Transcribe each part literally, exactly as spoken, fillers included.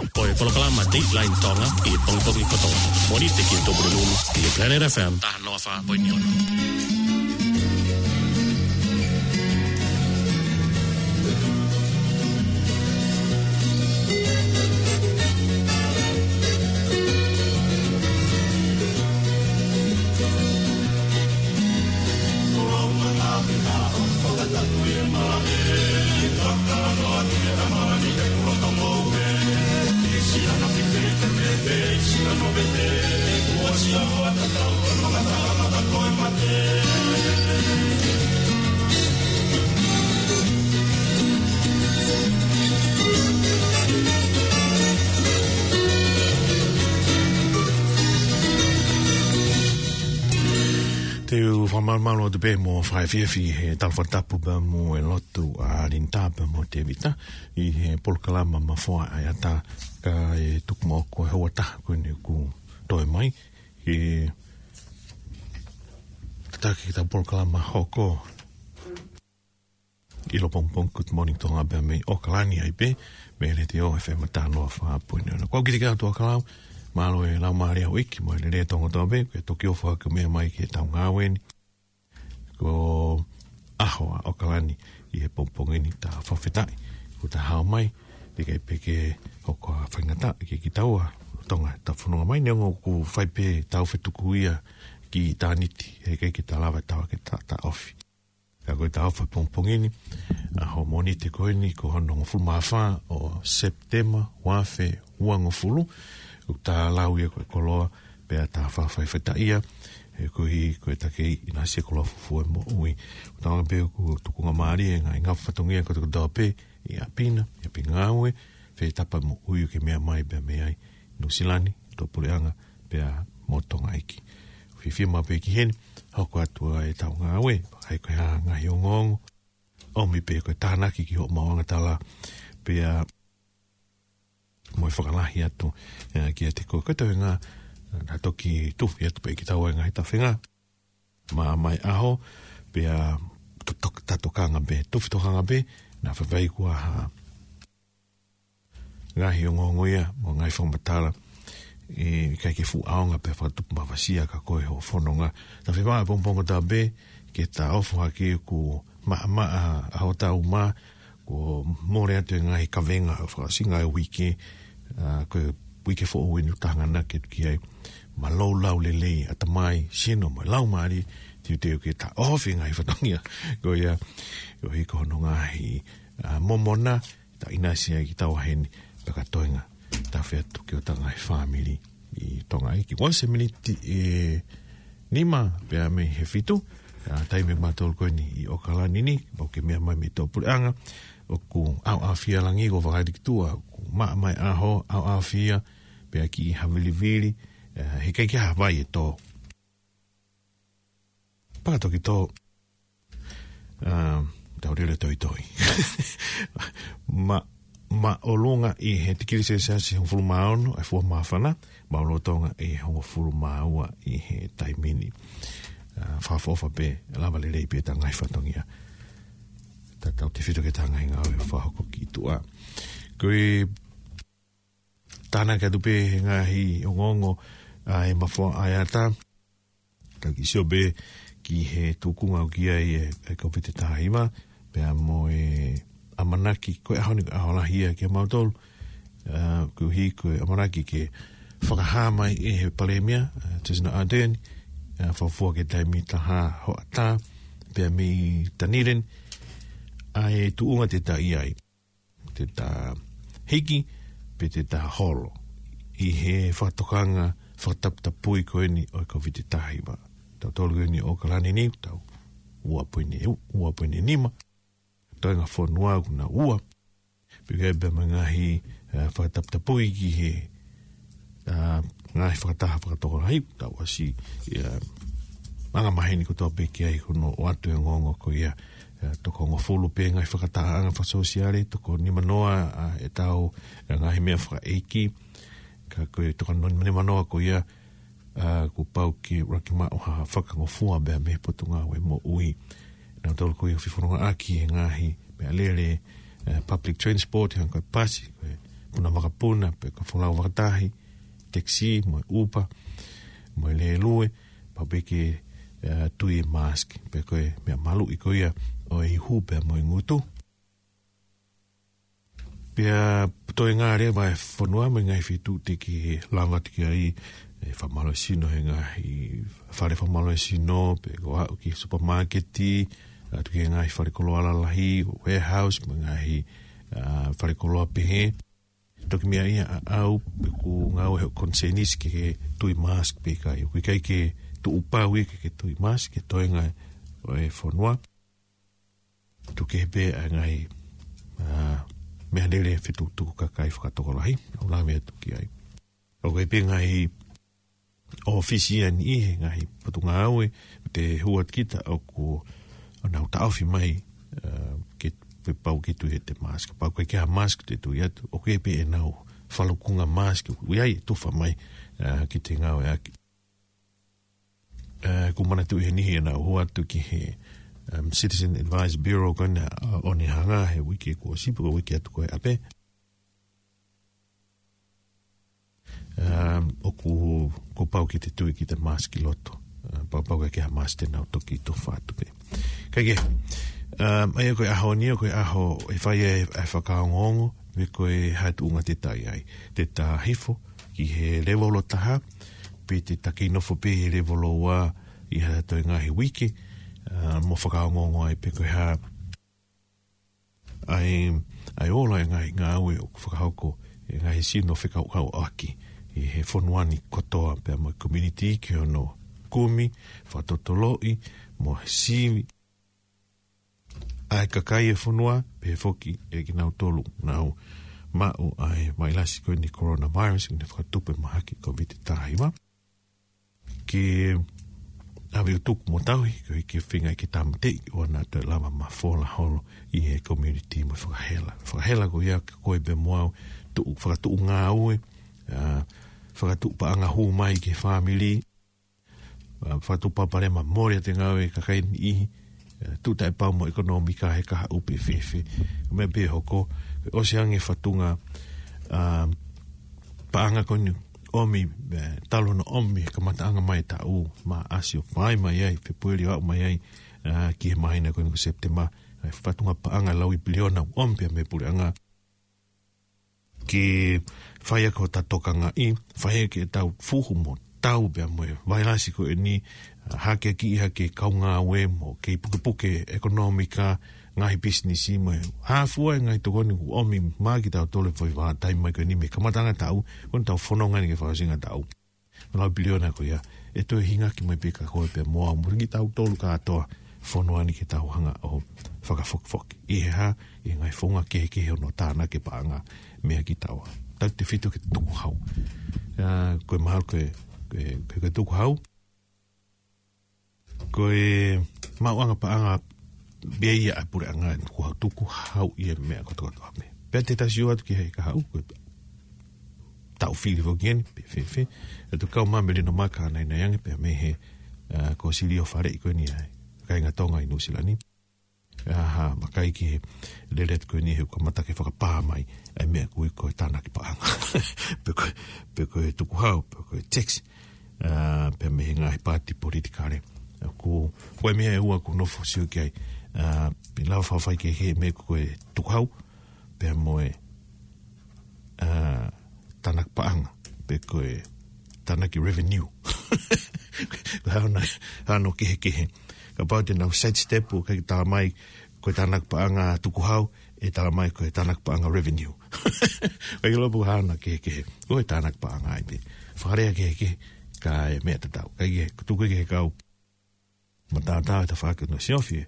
Ko e polokalama Dateline Tonga ʻi he pongipongi kotoa. Mōnite ki he Tupuna Nunu ʻi he Planet F M taha noa fā poini ono. Te u fakamālō atu pē mo fakaefiafi he talafakatapu pea mo e lotu ʻa Linda pea mo Tevita ʻi he polokalama Mafoa ʻa e Ata, kae tuku muʻa ko e houa taha ko eni ʻoku toe mai. Ke tataki ki he polokalama hoko ʻi loto pongipongi Good Morning Tonga pea mei ʻAokalani ai pē, mei he Letiō F M taha noa fā poini ono. Ko au Kitikau Tuʻakalau, mālō e laumālie ʻa houʻeiki, mo e lelei ʻa Tonga kotoa pē, ke toki ʻofa ke meʻa mai ki heʻetau ngāue ni. Ko e ʻaho ʻa ʻAokalani ʻi he pongipongi ni, ta fakafetaʻi kuo ta hao mai, teʻeki ai pē ke hoko ʻa e faingataʻa kiate kitaua Tonga ʻetau fononga mai, neongo ʻoku fai pē ʻetau fetuku ia ki ʻitāniti, heʻikai ke ta lava ʻe taua ke ta taʻofi. Ka ko ʻetau ʻaho pongipongi ni, ʻaho Mōnite ko eni, ko hono hongofulu mā fā ʻo Sepitema, ua afe uangofulu, ʻoku ta lau ia ko e koloa, pea ta fakafaifetaʻia, he koeʻuhi ko e takimuʻa ʻinasi e koloa fufū ʻo e moʻui. ʻOku tau ʻamanaki pē ʻoku tukungamālie e ngaahi ngafa fatongia kotoa kotoa pē, ʻi ʻapi na, ʻi ʻapi ngāue, fetapa moʻui ʻoku ke meʻa mai pea mei ai, Nuʻusila ni, Tuʻapuleʻanga, pea mo Tonga ʻEiki. Fiefia maʻu pē ki heni, hoko atu ʻa ʻetau ngāue, ʻai ko e hā ngaahi ongoongo, ʻomi pē ko e tānaki ki hoʻo maʻuʻanga tala, pea mo e fakalahi atu, ē, kiate koe. Ko e toenga, ē, naʻa toki tufi atu pē kitaua e ngaahi tafenga. Maʻamae ʻaho, pea to-, to-, ta tokanga pē, tufi tokanga pē, naʻa faifai kuo hā. Ngaahi ongoongo ia, mo e ngaahi fakamatala, ē, ʻikai ke fuʻu ʻaonga pea fakatupu mafasia kia koe hoʻo fononga. Ta fiemaʻu pongipongi kotoa pē, ke ta ʻofa hake ʻoku maʻamaʻa ʻa hotau mā, kuo mole atu e ngaahi kavenga ʻo e fakaʻosinga e uike, ā, ko e uike foʻou eni ʻoku ta hanganaki atu ki ai. Mālō lau lelei, ʻatamai, sino mo e laumālie, teuteu ke ta ʻohofi e ngaahi fatongia ko ia, koeʻuhi ko hono ngaahi, ā, momona, ta ʻinasi ai kitaua heni, pea ka toenga, tafe atu ki hota ngaahi fāmili ʻi Tonga ʻEiki. Kuo ʻosi e miniti ʻe nima pea mei he fitu, ā, taimi ʻa mautolu ko eni ʻi ʻAokalani ni, pau ke meʻa mai mei Tuʻapuleʻanga, ʻoku ʻaoʻaofia e langi, kuo fakaʻali ki tuʻa, ʻoku maʻamae ʻaho, ʻaoʻaofia, pea kiʻi havilivili, ē, heʻikai ke ʻi ai ha vai ʻe tō. Pea toki tō, ā, tau lele toitoi. Ma, māʻolunga ʻi he tikili selesiasi hongofulu mā ono, ʻa e fua māfana, māʻolunga Tonga ʻi he hongofulu mā ua ʻi he taimi ni. Ā, fakaʻofoʻofa pē, lava lelei pē ʻeta ngaahi fatongia. Ta tautefito ki heʻeta ngaahi ngāue fakahoko ki tuʻa. Ko e tānaki atu pē he ngaahi ongoongo ʻa e Mafoa ʻa e Ata. Ka ke sio pē ki he tuʻunga ʻoku ʻi ai e, e Kōviti taha hiva, pea mo e ʻamanaki, ko e ʻaho ni ko e ʻaho lahi ia kia mautolu, ā, koeʻuhi ko e ʻamanaki ke fakahā mai ʻe he Palēmia, ā, Jacinda Ardern, ā, fafua ki he taimi taha hoʻatā, pea mei Dunedin, ʻa e tuʻunga te ta ʻi ai. Te ta hiki, pe te ta holo ʻi he fakatokanga fakataputapui ko eni ʻo e Kōviti taha hiva. Tautolu ko eni ʻAokalani ni, tau ua poini, ua poini nima. Toenga fonua ʻoku na ua. Pea ʻi ai pē mo e ngaahi, ā, fakataputapui ki he, ā, ngaahi fakataha fakatokolahi, tau ʻosi, ā, anga maheni kotoa pē ki ai hono ʻoatu e ongoongo ko ia, ā, toko hongofulu pē ngaahi fakatahaʻanga fakasōsiale, toko nimanoa, ā, ʻetau, ā, ngaahi meʻa fakaʻeiki, ka ko e toko nimanoa ko ia, ā, kuo pau ke ʻuluaki maʻu ha fakangofua pea mei he Potungāue Moʻui. Nautolu ko ia ʻoku fefonongaʻaki he ngaahi meʻalele, ā, public transport, hangē ko e pasi, ko e puna vakapuna, pe ko e folau fakatahi, taxi, mo e Uber, mo e lēlue, pau pē ke, ā, tui e mask, pe ko e meʻa maluʻi ko ia ʻo e ihu pea mo e ngutu. Pea toe ngā leva e fonua mo e ngaahi feituʻu te ke lava atu ki ai, e fakamālō sino he ngaahi fale fakamālō sino, pe ko e aʻu ki supermarket, atu ki he ngaahi fale koloa lalahi, warehouse, mo e ngaahi, ā, fale koloa pehē. Toki meʻa ia ʻaʻau, pe ʻoku ngāue he concern is ke ke tui mask pe ʻikai. ʻOku ʻikai ke tuʻu pau ia ke ke tui mask, ke toe ngā ʻo e fonua. Tuku kehe pē ʻa e ngaahi, ā, meʻalele fetukutuku kakai fakatokolahi, ʻoku lave atu ki ai. ʻOku ʻi ai pē ngaahi ʻōfisi ʻa e niʻihi he ngaahi potungāue, te hua kita ʻoku ʻo nau taʻofi mai, ā, ke, pe pau ke tui ʻete mask. Pau ke ke ha mask te tui atu, ʻoku ʻi ai pē ʻenau falukunga mask, ʻoku ʻi ai e tufa mai, ā, ki te ngāueʻaki. Ā, ʻoku manatuʻi he niʻihi ʻenau hua atu ki he, um, Citizen Advice Bureau ko ena, ā, ʻo ne hanga he uike kuo ʻosi pe ko e uike atu ko ē ʻapē. Um, ʻoku, ʻoku pau ke te tui ki te mask ʻi loto. Ā, pau, pau ke ke ha mask te nau toki tufa atu pē. Kae kehe, um, ʻa ia ko e ʻaho ni, ko e ʻaho ʻe fai ai e fakaongoongo, pe ko e hā e tuʻunga te ta ʻi ai. Te ta hifo ki he lēvolo taha, pe te ta kei nofo pē he lēvolo ua ʻi ha toe ngaahi uike, ā, mo fakaongoongo ai pe ko e hā ʻa e, ʻa e ola e ngaahi ngāue ʻoku fakahoko ʻe he ngaahi sino fekauʻaki ʻi he fonua ni kotoa pea mo e community ki hono kumi, fakatotoloʻi, mo e sivi ʻa e kakai e fonua, pehē foki ʻe kinautolu ʻoku nau maʻu ʻa e vailasi ko eni coronavirus, ʻene fakatupu e mahaki Covid taha hiva. Ke ʻave ʻo tuku mo tauhi, koeʻuhi ke feinga ke tāmateʻi ʻoua naʻa toe lava mafola holo ʻi he community mo e fakahela. Fakahela ko ia kia koe pea mo au, tuʻu, fakatuʻu ngāue, ā, fakatuʻu paʻanga hū mai ki he fāmili, ā, fakatuʻu palopalema mole ʻa e ngāue ʻa e kakai niʻihi, ā, tuʻu taʻepau mo e ʻekonōmika he kahaʻu pe fēfē. Meʻa pē hoko, ʻosi ange fatunga, ā, paʻanga ko eni ʻomi, ē, talu hono ʻomi he kamataʻanga mai e taʻu, Maʻasi ʻo fai mai ai, Fēpueli ʻo aʻu mai ai, ā, ki he māhina ko eni ko Sepitema, ʻa e fatunga paʻanga lauipiliona ʻomi pea mei he puleʻanga. Ke fai ʻaki hotau tokangaʻi, fai ʻaki ʻetau fuhu mo tau pea mo e vailasi ko eni, ā, hake ki ha kau ngāue mo kei pukepuke ʻekonōmika, ngaahi pisinisi mo e hā fua e ngaahi tokoni ʻoku ʻomi maʻa kitautolu he foʻi vahaʻa taimi mai ko eni mei he kamataʻanga taʻu, ko eni ʻetau fononga ni ki he fakaʻosinga taʻu. Lauipiliona ko ia, ʻe toe hingaki mai pē kia koe pea mo au mo kitautolu kātoa fonua ni ke tau hanga ʻo fakafokifoki. ʻI he hā, ʻi he ngaahi founga kehekehe ʻo hono tānaki e paʻanga meiate kitaua. Tautefito ki he tukuhau. Ā, ko e mahalo ko e, ko e, ko e, ko e tukuhau. Ko e maʻuʻanga paʻanga pē ia ʻa e puleʻanga, tukuhau, tukuhau ia meʻa kotokotoa pē. Pea te ta sio atu ki he kahaʻu, ko e taʻu fili foki eni, pe fēfē. ʻE tuku kau mai Melino Maka naʻe ʻi ai ange pea mei he, ā, ko Silio Faleʻi ko eni ʻa e kāinga Tonga ʻi Nuʻusila ni. Ā, hā, vakai ki he lele atu ko eni he ʻoku kamata ke fakapā mai ʻa e meʻa ko ē ko e tānaki paʻanga. Pe ko, pe ko e tukuhau, pe ko e tax. Ā, pea mei he ngaahi paati politikale. Ā, ko, ko e meʻa ʻe ua ʻoku ou nofo ʻo sio ki ai. Ā, pe lava fafai ki he meʻa ko e tukuhau, pea mo e, ā, tānaki paʻanga, pe ko e tānaki revenue. Ko e hā hono, hā hono kehekehe. Kapau te nau sidestep ʻo ʻikai tala mai ko e tānaki paʻanga tukuhau, ʻe tala mai ko e tānaki paʻanga revenue. ʻIkai ke ʻilo pe ko e hā hono kehekehe. Ko e tānaki paʻanga ai pē. Fakalea kehekehe, ka e meʻa tatau. Kae kehe, tuku ki he kau matātā ʻo e tafaʻaki ʻo Siofi,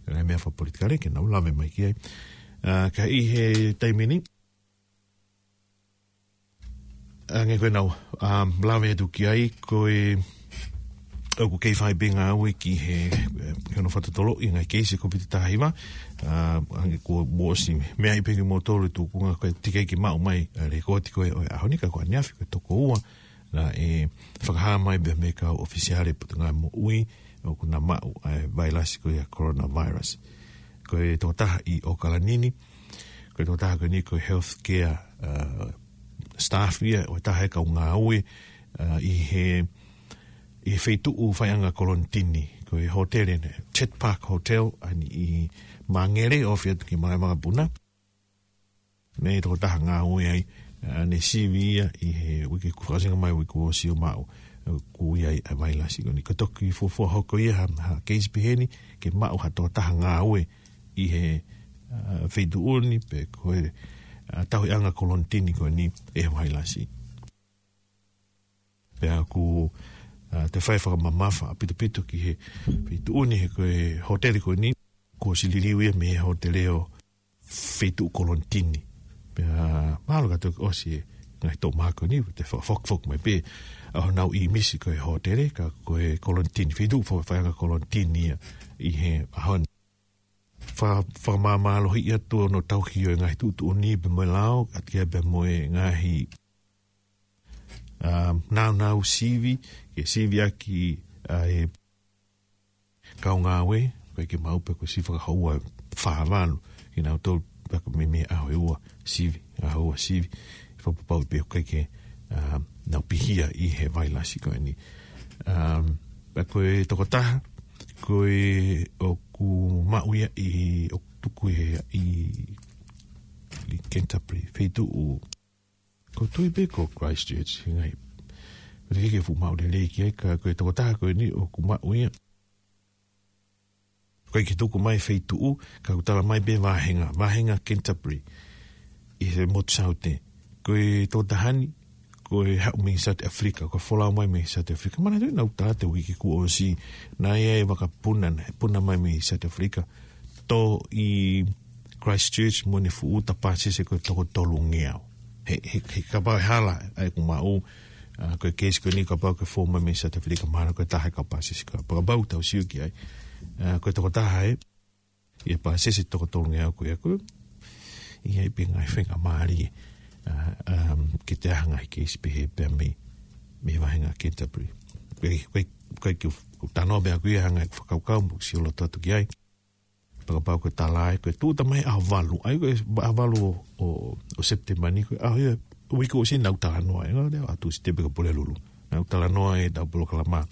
ʻa e meʻa fakapolitikale ke nau lave mai ki ai. Ā, ka ʻi he taimi ni, hangē ko ʻenau, ā, lave atu ki ai, ko e, ʻoku kei fai pē ngāue ki he, ē, ki hono fakatotoloʻi e ngaahi keisi Covid taha hiva, ā, hangē ko ʻeku ʻosi meaʻi pē kimoutolu e tuʻunga ko e teʻeki ke maʻu mai, ā, lēkooti ko ē ʻo e ʻaho ni ka ko ʻaneafi ko e toko ua, naʻe fakahā mai pē mei he kau ʻofisiale Potungāue Moʻui, ʻoku na maʻu ʻa e vailasi ko ia coronavirus. Ko e tokotaha ʻi ʻOkalani ni, ko e tokotaha ko eni ko e healthcare, ā, staff ia ʻo e taha e kau ngāue, ā, ʻi he, ʻi he feituʻu faiʻanga kolonitini, ko e hōtele ʻeni, Chet Park Hotel, ʻa eni ʻi Māngere, ʻo fia tuki mai makapuna. Naʻe tokotaha ngāue ai, ā, naʻe sivi ia ʻi he uike kuo fakaʻosinga mai, uike kuo ʻosi ʻo maʻu, ā, kuo ʻi ai ʻa e vailasi ko eni. Ko e toki fuofua hoko ia ha, ha keisi pehē ni, ke maʻu ha tokotaha ngāue ʻi he, ā, feituʻu ni pe ko e, ā, tauhiʻanga kolonitini ko eni ʻe he vailasi. Pea ʻoku, ā, toe fai fakamamafa ʻaupito ki he feituʻu ni he ko e hōtele ko eni, kuo ʻosi liliu ia mei he hōtele ʻo feituʻu kolonitini. Pea mahalo ka toki ʻosi e ngaahi toʻu mā ko eni, te fakafokifoki mai pē ʻa honau ʻīmisi ko e hōtele, ka ko e kolonitini, feituʻu fa-, faiʻanga kolonitini ia ʻi he ʻaho ni. Fa-, fakamāmālohiʻi atu hono tauhi ʻo e ngaahi tuʻutuʻuni pea mo e lao, ʻa ia pea mo e ngaahi, ā, nāunau sivi, ke siviʻaki ʻa e kau ngāue, ʻikai ke maʻu pē ko e sivi fakahoua ʻe fā valu, kinautolu pea ko e meimei ʻaho ʻe ua sivi, ʻaho ua sivi, fakapapauʻi pē ʻoku ʻikai ke, ā, nau pihia ʻi he vailasi ko eni. Ā, pea ko e tokotaha, ko e ʻoku maʻu ia ʻi, ʻoku tuku ʻi, ʻi, ʻi Canterbury, feituʻu, ʻoku ou tui pē ko Christchurch, he ngaahi, ʻikai ke fuʻu maʻu lelei ki ai, ka ko e tokotaha ko eni ʻoku maʻu ia. ʻIkai ke tuku mai feituʻu, ka ʻoku tala mai pē vāhenga, vāhenga Canterbury, ʻi he motu Saute. Ko e tokotaha ni, ko e haʻu mei South Africa, ko e folau mai mei South Africa. Manatuʻi naʻa ku tala atu he uike kuo ʻosi, naʻe ʻi ai e vakapuna, naʻe puna mai mei South Africa. Tō ʻi Christchurch mo ʻene fuʻu uta pāsese ko e toko tolungeau. He, he, he kapau ʻe hala ʻa ʻeku maʻu, ā, ko e keisi ko eni kapau ʻoku fou mai mei South Africa, mahalo ko e taha e kau pāsese ko ia. Pea kapau tau sio ki ai. Ā, ko e tokotaha ē, ʻi he pāsese toko tolungeau ko ia ko ē, ʻi ai pē ngaahi faingamālie, ā, ā, ke toe ʻi ai ha ngaahi keisi pehē pea mei, mei he vāhenga Canterbury. Ko e, ko e, ko e kiʻi, ko e tano pē ʻaku ia ha ngaahi fakakaukau mo sio loto atu ki ai. Pea kapau ko e tala ē, ko e tūʻuta mai ʻaho valu, ʻa ia ko e ʻaho valu ʻo, ʻo, ʻo September ni, ko e ʻaho ia, uike ʻosi naʻa ku talanoa, ē, ngā lea atu si te peka Pulelulu. Naʻa ku talanoa ʻi heʻetau polokalama.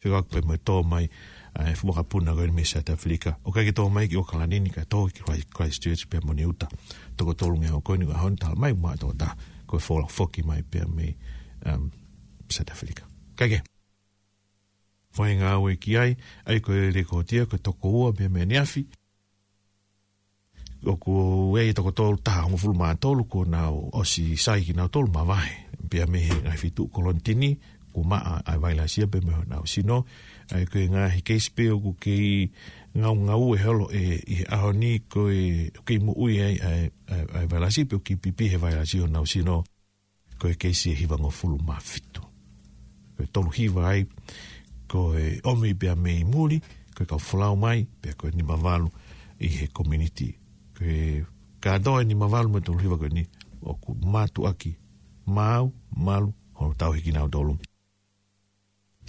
Fekauʻaki pē mo e tō mai, ā, e fuʻu vakapuna ko eni mei South Africa. ʻOku ʻikai ke tō mai ki ʻAokalani ni ka tō ki Christ-, Christchurch pea mo ʻene uta toko tolungeau ko eni ʻaho ni tala mai maʻa tokotaha ko e folau foki mai pea mei, um, South Africa. Kae kehe, fai ngāue ki ai, ʻa ia ko e lekooti ia, ko e toko ua pea mei ʻaneafi. ʻOku ʻi ai e toko tolu, taha hongofulu mā tolu kuo nau ʻosi sai kinautolu mavahe. Pea mei he ngaahi feituʻu kolonitini, kuo maʻa ʻa e vailasi ia pea mei honau sino. ʻA ia ko e ngaahi keisi pē ʻoku kei ngaungaue holo ē ʻi he ʻaho ni ko e, ʻoku kei moʻui ai ʻa e, ʻa e, ʻa e vailasi pe ʻoku kei pipi he vailasi honau sino. Ko e keisi ʻe hivangofulu mā fitu. Ko e tolu hiva ai, ko e ʻomi pea mei muli, ko e kau folau mai, pea ko e nima valu ʻi he community. Ko e kātoa e nima valu mo e tolu hiva ko eni, ʻoku mātuʻaki maʻu, malu, hono tauhi kinautolu.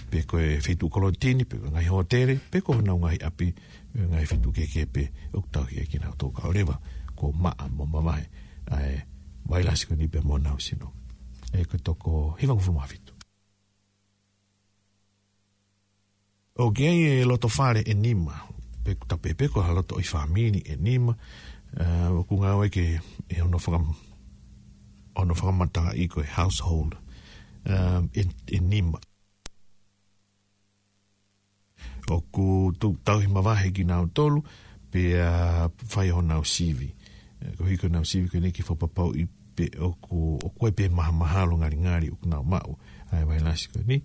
Pe ko e feituʻu kolonitini, pe ko e ngaahi hōtele, pe ko honau ngaahi ʻapi, pe ngaahi feituʻu kehekehe pē, ʻoku tauhi ai kinautolu kae ʻoua leva kuo maʻa mo mavahe ʻa e vailasi ko eni pea mo honau sino. ʻA ia ko e toko hivangofulu mā fitu. ʻOku ʻi ai e loto fale ʻe nima, pe ʻoku tapu pē ko ha loto ʻi fāmili ʻe nima, ā, ʻoku ngāueʻaki ʻi hono fakam-, hono fakamatalaʻi ko e household, ā, ʻe, ʻe nima. ʻOku tuʻu tauhi mavahe kinautolu, pea fai honau sivi. Ē, ko e hiki honau sivi ko eni ke fakapapauʻi pē ʻoku, ʻoku ʻi ai pē mahamahalo ngalingali ʻoku nau maʻu ʻa e vailasi ko eni.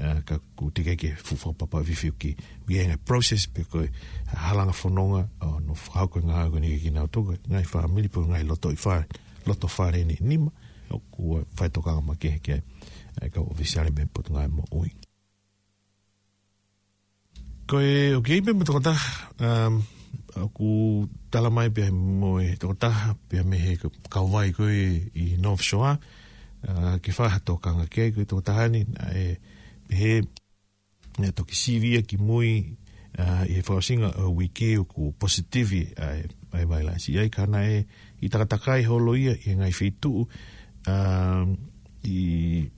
Ā, ka ʻoku teʻeki ke fuʻu fakapapauʻi fifi ʻoku ʻi ai e ngaahi process pe ko e halanga fononga ʻo hono fakahoko e ngāue ko eni kiate kinautolu, ngaahi fāmili pe ngaahi loto ʻi fale, loto fale ʻe nima, ʻoku fai tokanga makehe ki ai ʻa e kau ʻōfisiale mei he Potungāue Moʻui. Ko e, ʻoku ʻi ai pē mo e tokotaha, um, ʻoku tala mai pē mo e tokotaha, pea mei he ka-, kauvai ko ē ʻi North Shore, ā, ke fai ha tokanga ki ai ko e tokotaha ni, naʻe pehē, naʻe toki sivi ia ki mui, ā, ʻi he fakaʻosinga ʻo e uike ʻoku positive ʻa e, ʻa e vailasi. ʻA ia ka naʻe ʻi takatakai holo ia ʻi he ngaahi feituʻu, um, ʻi,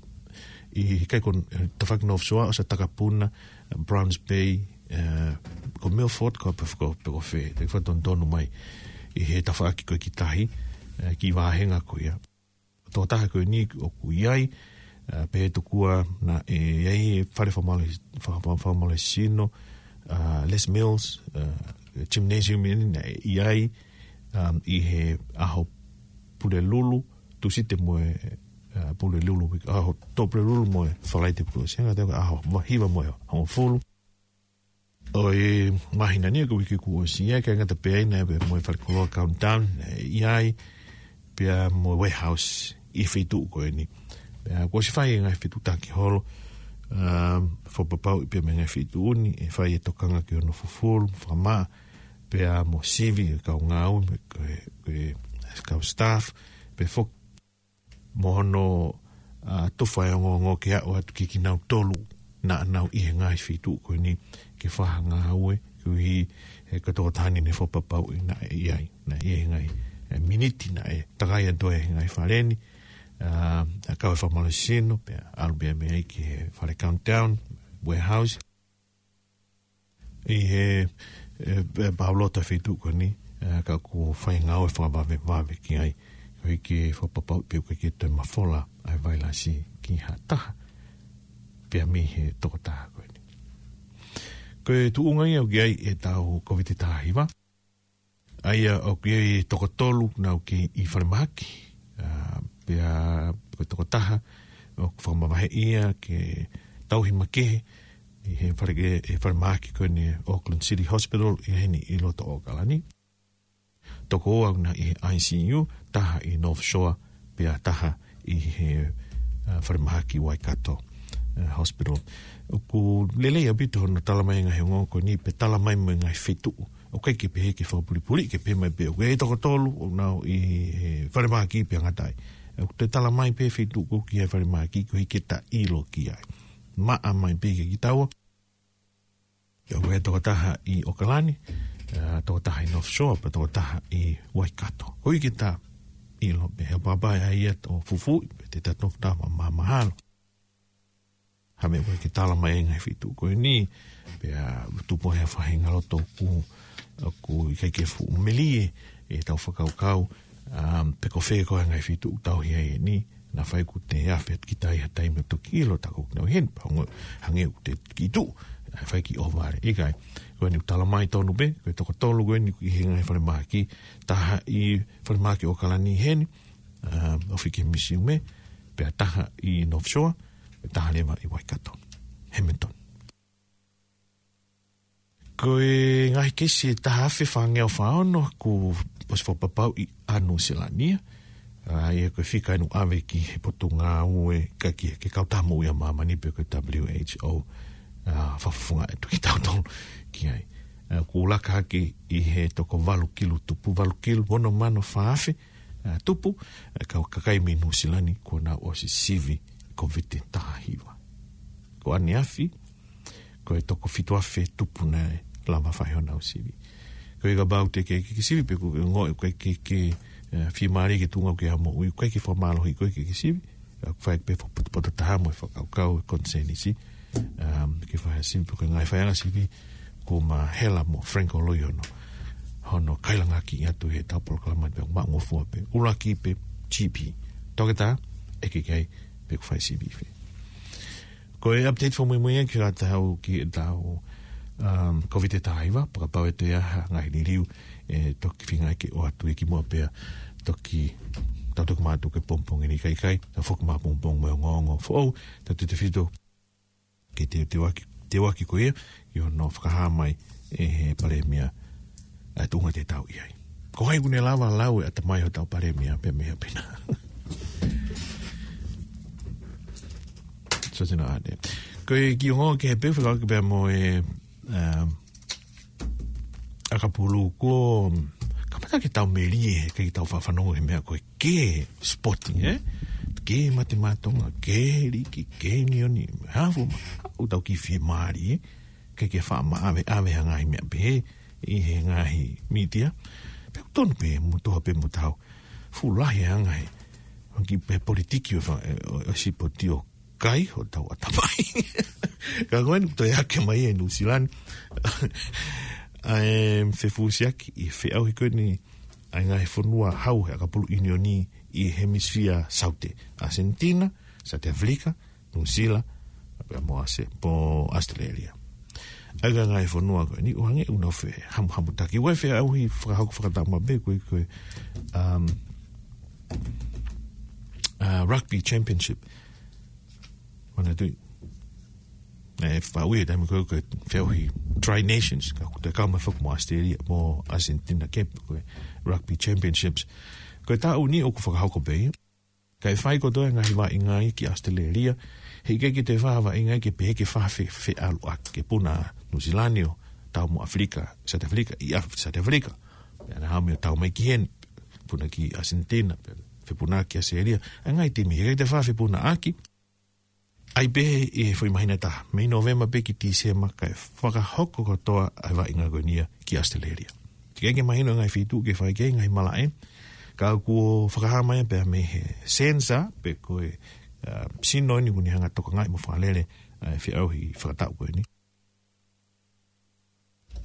ʻi he kai ko, tafaʻaki North Shore, ʻosi ʻa Takapuna, Browns Bay, uh, ko Milford, ko pe, ko pe ko fē, te fakatonutonu mai ʻi he tafaʻaki ko ē ki tahi, uh, ki he vāhenga ko ia. Tokotaha ko eni ʻoku ʻi ai, uh, pehē tokua naʻe ʻi ai e fale fakamālō-, fa-, fa-, fakamālohisino, uh, Les Mills, uh, gymnasium eni naʻe ʻi ai, um, ʻi he ʻaho Pulelulu, Tūsite mo e, uh, Pulelulu, ʻaho Tō Pulelulu mo e Falaite Pulelulu, senga te ʻaho Vahiva mo e Hongofulu. ʻO e māhina ni ko e uike kuo ʻosi ia, ʻikai ngata pē ai naʻe mo e fale koloa Countdown, ʻi ai, pea mo e Warehouse ʻi he feituʻu ko eni. Pea kuo ʻosi fai e ngaahi fetuʻutaki holo, um, fakapapauʻi pea mo e ngaahi feituʻu ni, ʻe fai e tokanga ki hono fufulu, fakamaʻa, pea mo sivi e kau ngāue, ko e, ko e kau staff, pea foki mo hono, a, tufa e ongoongo ke aʻu atu ki kinautolu naʻa nau ʻi he ngaahi feituʻu ko eni ke fakahā ngāue, koeʻuhi he ko e tokotaha ni naʻe fakapapauʻi naʻe ʻi ai, naʻe ʻi ai he ngaahi, e, miniti naʻe takai atu ai he ngaahi fale ni, a, a kau e fakamālohisino, pea ʻalu pea mei ai ki he fale Countdown, Warehouse. ʻI he, e, e, pau loto e feituʻu ko eni, e, ka kuo fai ngāue fakavavevave ki ai, koeʻuhi ke fakapapauʻi pē ʻoku ʻikai ke toe mafola ʻa e vailasi ki ha taha, pea mei he tokotaha ko eni. Ko e tuʻunga ia ʻoku ʻi ai ʻetau Kōviti taha hiva, ʻa ia ʻoku ʻi ai e toko tolu naʻa nau kei ʻi falemahaki, a, pea ko e toko taha ʻoku fakamavaheʻi ia ke tauhi makehe ʻi he fale-, he falemahaki ko eni Auckland City Hospital ʻi heni ʻi loto ʻAokalani. Toko ua naʻe ʻi he I C U, taha ʻi North Shore, pea taha ʻi he, a, falemahaki Waikato, a, Hospital. ʻOku lelei ʻaupito hono talamai e ngaahi ongoongo ko eni pea talamai mo e ngaahi feituʻu. ʻOku ʻikai ke pehē ke fakapulipuli, ke pehē mai pē ʻoku ʻi ai e toko tolu ʻoku nau ʻi he falemahaki pea ngata ai. ʻOku toe talamai pē feituʻu ʻoku ʻi ai e falemahaki koeʻuhi ke ta ʻilo ki ai. Maʻa mai pē kia kitaua. ʻOku ʻi ai e toko taha ʻi ʻAokalani, a, toko taha ʻi North Shore, pea toko taha ʻi Waikato. Koeʻuhi ke ta ʻilo pē he papa ʻa ia ʻoku fufuuʻi, pea te ta tofu ta ma-, ma-, mahalo. Ha meʻa ʻoku ʻikai ke talamai e ngaahi feituʻu ko eni, pea tupu ai ha faʻahinga loto ʻoku, ʻoku ʻikai ke fuʻu melie ʻetau fakakaukau, um, pe ko fē koā e ngaahi feituʻu ʻoku tauhi ai eni, naʻa faifai ʻoku te afe atu ki tahi ha taimi ʻo toki ʻilo ta ko ʻoku nau ʻi heni, pea hangē, hangē ʻoku te kiʻi tuʻu, ʻa e fai kiʻi ʻohovale, ʻikai. Ko eni ʻoku talamai tonu pē, ko e toko tolu ko eni ʻoku ʻi he ngaahi falemahaki, taha ʻi falemahaki ʻAokalani heni, um, ofi ki he misiume, pea taha ʻi North Shore, pea taha leva ʻi Waikato. Hamilton. Ko e ngaahi keisi ʻe taha afe fāngeau fā ono kuo ʻosi fakapapauʻi ʻa Nuʻusila ni. ʻA ia ko e fika ʻoku ʻave ki he potungāue ka ki he, ki he Kautaha Moʻui ʻa Māmani pe ko e W H O. ʻA, fakafofonga atu kitautolu ki ai. ʻA, kuo laka hake ʻi he toko valu kilu tupu, valu kilu ono mano fā afe, ʻa, tupu, ʻa, ka-, kakai mei Nuʻusila ni kuo nau ʻosi sivi Kōviti taha hiva. Ko ʻaneafi, ko e toko fitu afe tupu naʻe lava fai honau sivi. Ko e kapau te ke, ke, ke sivi pe ko e ongoʻi ʻoku ʻikai ke, ke, ʻa, fiemālie ki he tuʻunga ʻoku ke ʻi ai hoʻo moʻui, ʻoku ʻikai ke fakamālohiʻi koe ke, ke sivi, ʻa, fai pē fakapotopoto taha mo e fakakaukau e konisēnisi, um, ke fai ha sivi pe ko e ngaahi faiʻanga sivi, kuo mahela mo Frank Holoi hono, hono kailangaki atu heʻetau polokalama pea maʻungofua pē, ʻuluaki pē G P. Toketā, ʻeke ki ai, pe ʻoku fai sivi fē. Ko e update fakamuimui ia ki heʻetau, ki heʻetau, um, Kōviti taha hiva, pea kapau ʻe toe ʻi ai ha ngaahi liliu, ʻe toki feinga ke ʻoatu ia kimuʻa pea toki, tau toki mātuku he pongipongi ni kae ʻikai, tau foki mai he pongipongi mo e ongoongo foʻou, tautautefito ki he teuteuʻaki, teuʻaki ko ia, ʻi hono fakahā mai ʻe he Palēmia ʻa e tuʻunga te tau ʻi ai. Ko hai ʻoku ne lava lau e ʻatamai hotau Palēmia pea mei ʻapi na. So tino ane. Ko e kiʻi ongoongo kehe pē fekauʻaki pea mo e, um, ʻakapulu ko, kamata ke tau melie, ke tau faʻa fanongo he meʻa ko e ke sporting, ē? Ke mate maʻa Tonga, ke liki, ke nioni, hafu ma, ʻoku tau kiʻi fiemālie, ē? Ke ke faʻa maʻaveʻave ha ngaahi meʻa pehē, ʻi he ngaahi mītia. Pea ʻoku tonu pē, mo toha pē mo tau, Fuʻu lahi e anga he, ʻoku pē politiki ʻo e fa-, ʻo, ʻo e sipoti ʻoku kai hotau ʻatamai. Ka ko eni toe ake mai e Nuʻusila ni. ʻA e fefusiaki ʻi he feʻauhi ko eni ʻa e ngaahi fonua hau he ʻakapulu ʻiunioni ʻi he hemisifia saute. ʻAsenitina, Saute ʻAfilika, Nuʻusila, pea mo ʻAse-, mo ʻAositelēlia. ʻA e ngaahi fonua ko eni, ʻoku hangē ʻoku nau fehamuhamutaki. ʻOku ʻi ai e feʻauhi fakahoko fakataʻu maʻu pē ko e, ko e, um, uh, Rugby Championship. Mana tui. ʻE, fakaʻuhi e taimi ko e, ko e feʻauhi Tri Nations, ka ʻoku toe kau mai foki mo ʻAositelēlia, mo ʻAsenitina ke, ko e Rugby Championships. Ko e taʻu ni ʻoku fakahoko pē ia. Kae fai kotoa e ngaahi vaʻinga ia ki ʻAositelēlia, heʻikai ke toe fai ha vaʻinga ia ke pehē ke fai ha fe-, feʻaluʻaki, ke puna Nuʻusila ni ʻo tau mo ʻAfilika, Saute ʻAfilika, ʻi ʻAf-, Saute ʻAfilika. Pea naʻa mou tau mai ki heni, puna ki ʻAsenitina, pea fepuna ki ʻAositelēlia. ʻA e ngaahi timi, heʻikai toe fai ha fepunaʻaki, ʻai pē ʻi he foʻi māhina ʻe taha, mei Nōvema pē ki Tīsema, kae fakahoko kotoa ʻa e vaʻinga ko eni ia ki ʻAositelēlia. Teʻeki ke mahino e ngaahi feituʻu ke fai ki ai e ngaahi malaʻe, ka kuo fakahā mai pē mei he sensa, pe ko e, uh, sino ni ʻoku ne hanga ʻo tokangaʻi mo fakalele, uh, e feʻauhi fakataʻu ko eni.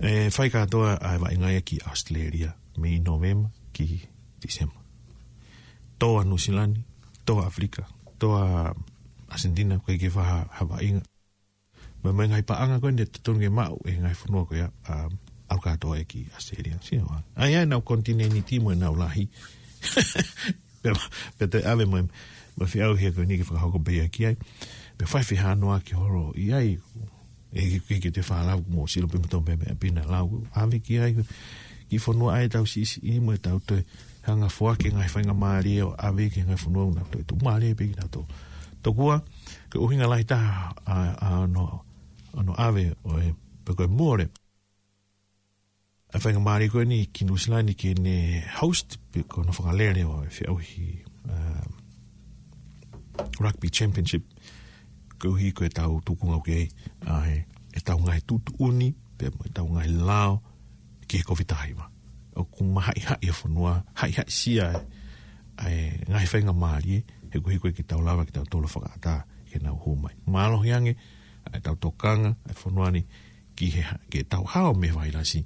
ʻE fai kātoa ʻa e vaʻinga ia ki ʻAositelēlia, mei Nōvema ki Tīsema. Tō ʻa Nuʻusila ni, tō ʻa ʻAfilika, tō ʻa ʻAsenitina, ʻoku ʻikai ke fai ha, ha vaʻinga. Mo e, mo e ngaahi paʻanga ko eni ʻoku totonu ke maʻu ʻe he ngaahi fonua ko ia, um, ʻalu kātoa ia ki ʻAositelēlia. Sio ā. ʻA ia ʻenau konitinēniti mo ʻenau lahi. Pea, pea toe ʻave mo e, mo e feʻauhi ko eni ke fakahoko pē ia ki ai. Pea fai fehanoaʻaki holo ʻi ai, ʻe, ke, ke te fālau mo silo pē mo tō pē meʻa pē naʻa lau. ʻAve ki ai, ki fonua ʻa ʻetau siʻisiʻi mo ʻetau toe hanga ʻo foaki e ngaahi faingamālie ʻo ʻave ki he ngaahi fonua naʻa toe tuʻumālie pē kinautolu. Tokua, ko e ʻuhinga lahi taha ʻa, ʻa hono, hono ʻave ʻo e, pe ko e mole ʻa e faingamālie ko eni ki Nuʻusila ni ke ne host pe ko hono fakalele ʻo e feʻauhi, um, Rugby Championship. Koeʻuhi ko ʻetau tuʻunga ʻoku ʻi ai ʻa e, ʻetau ngaahi tuʻutuʻuni, pea mo ʻetau ngaahi lao ki he Kōviti taha hiva. ʻOku mahaʻihaʻi e fonua, haʻihaʻisia ʻa e ngaahi faingamālie, he koeʻuhi ko e ke tau lava ke tau tolo fakaʻatā ke nau hū mai. Mālohi ange ʻa ʻetau tokanga ʻa e fonua ni ki he ha-, ke tau hao mei he vailasi,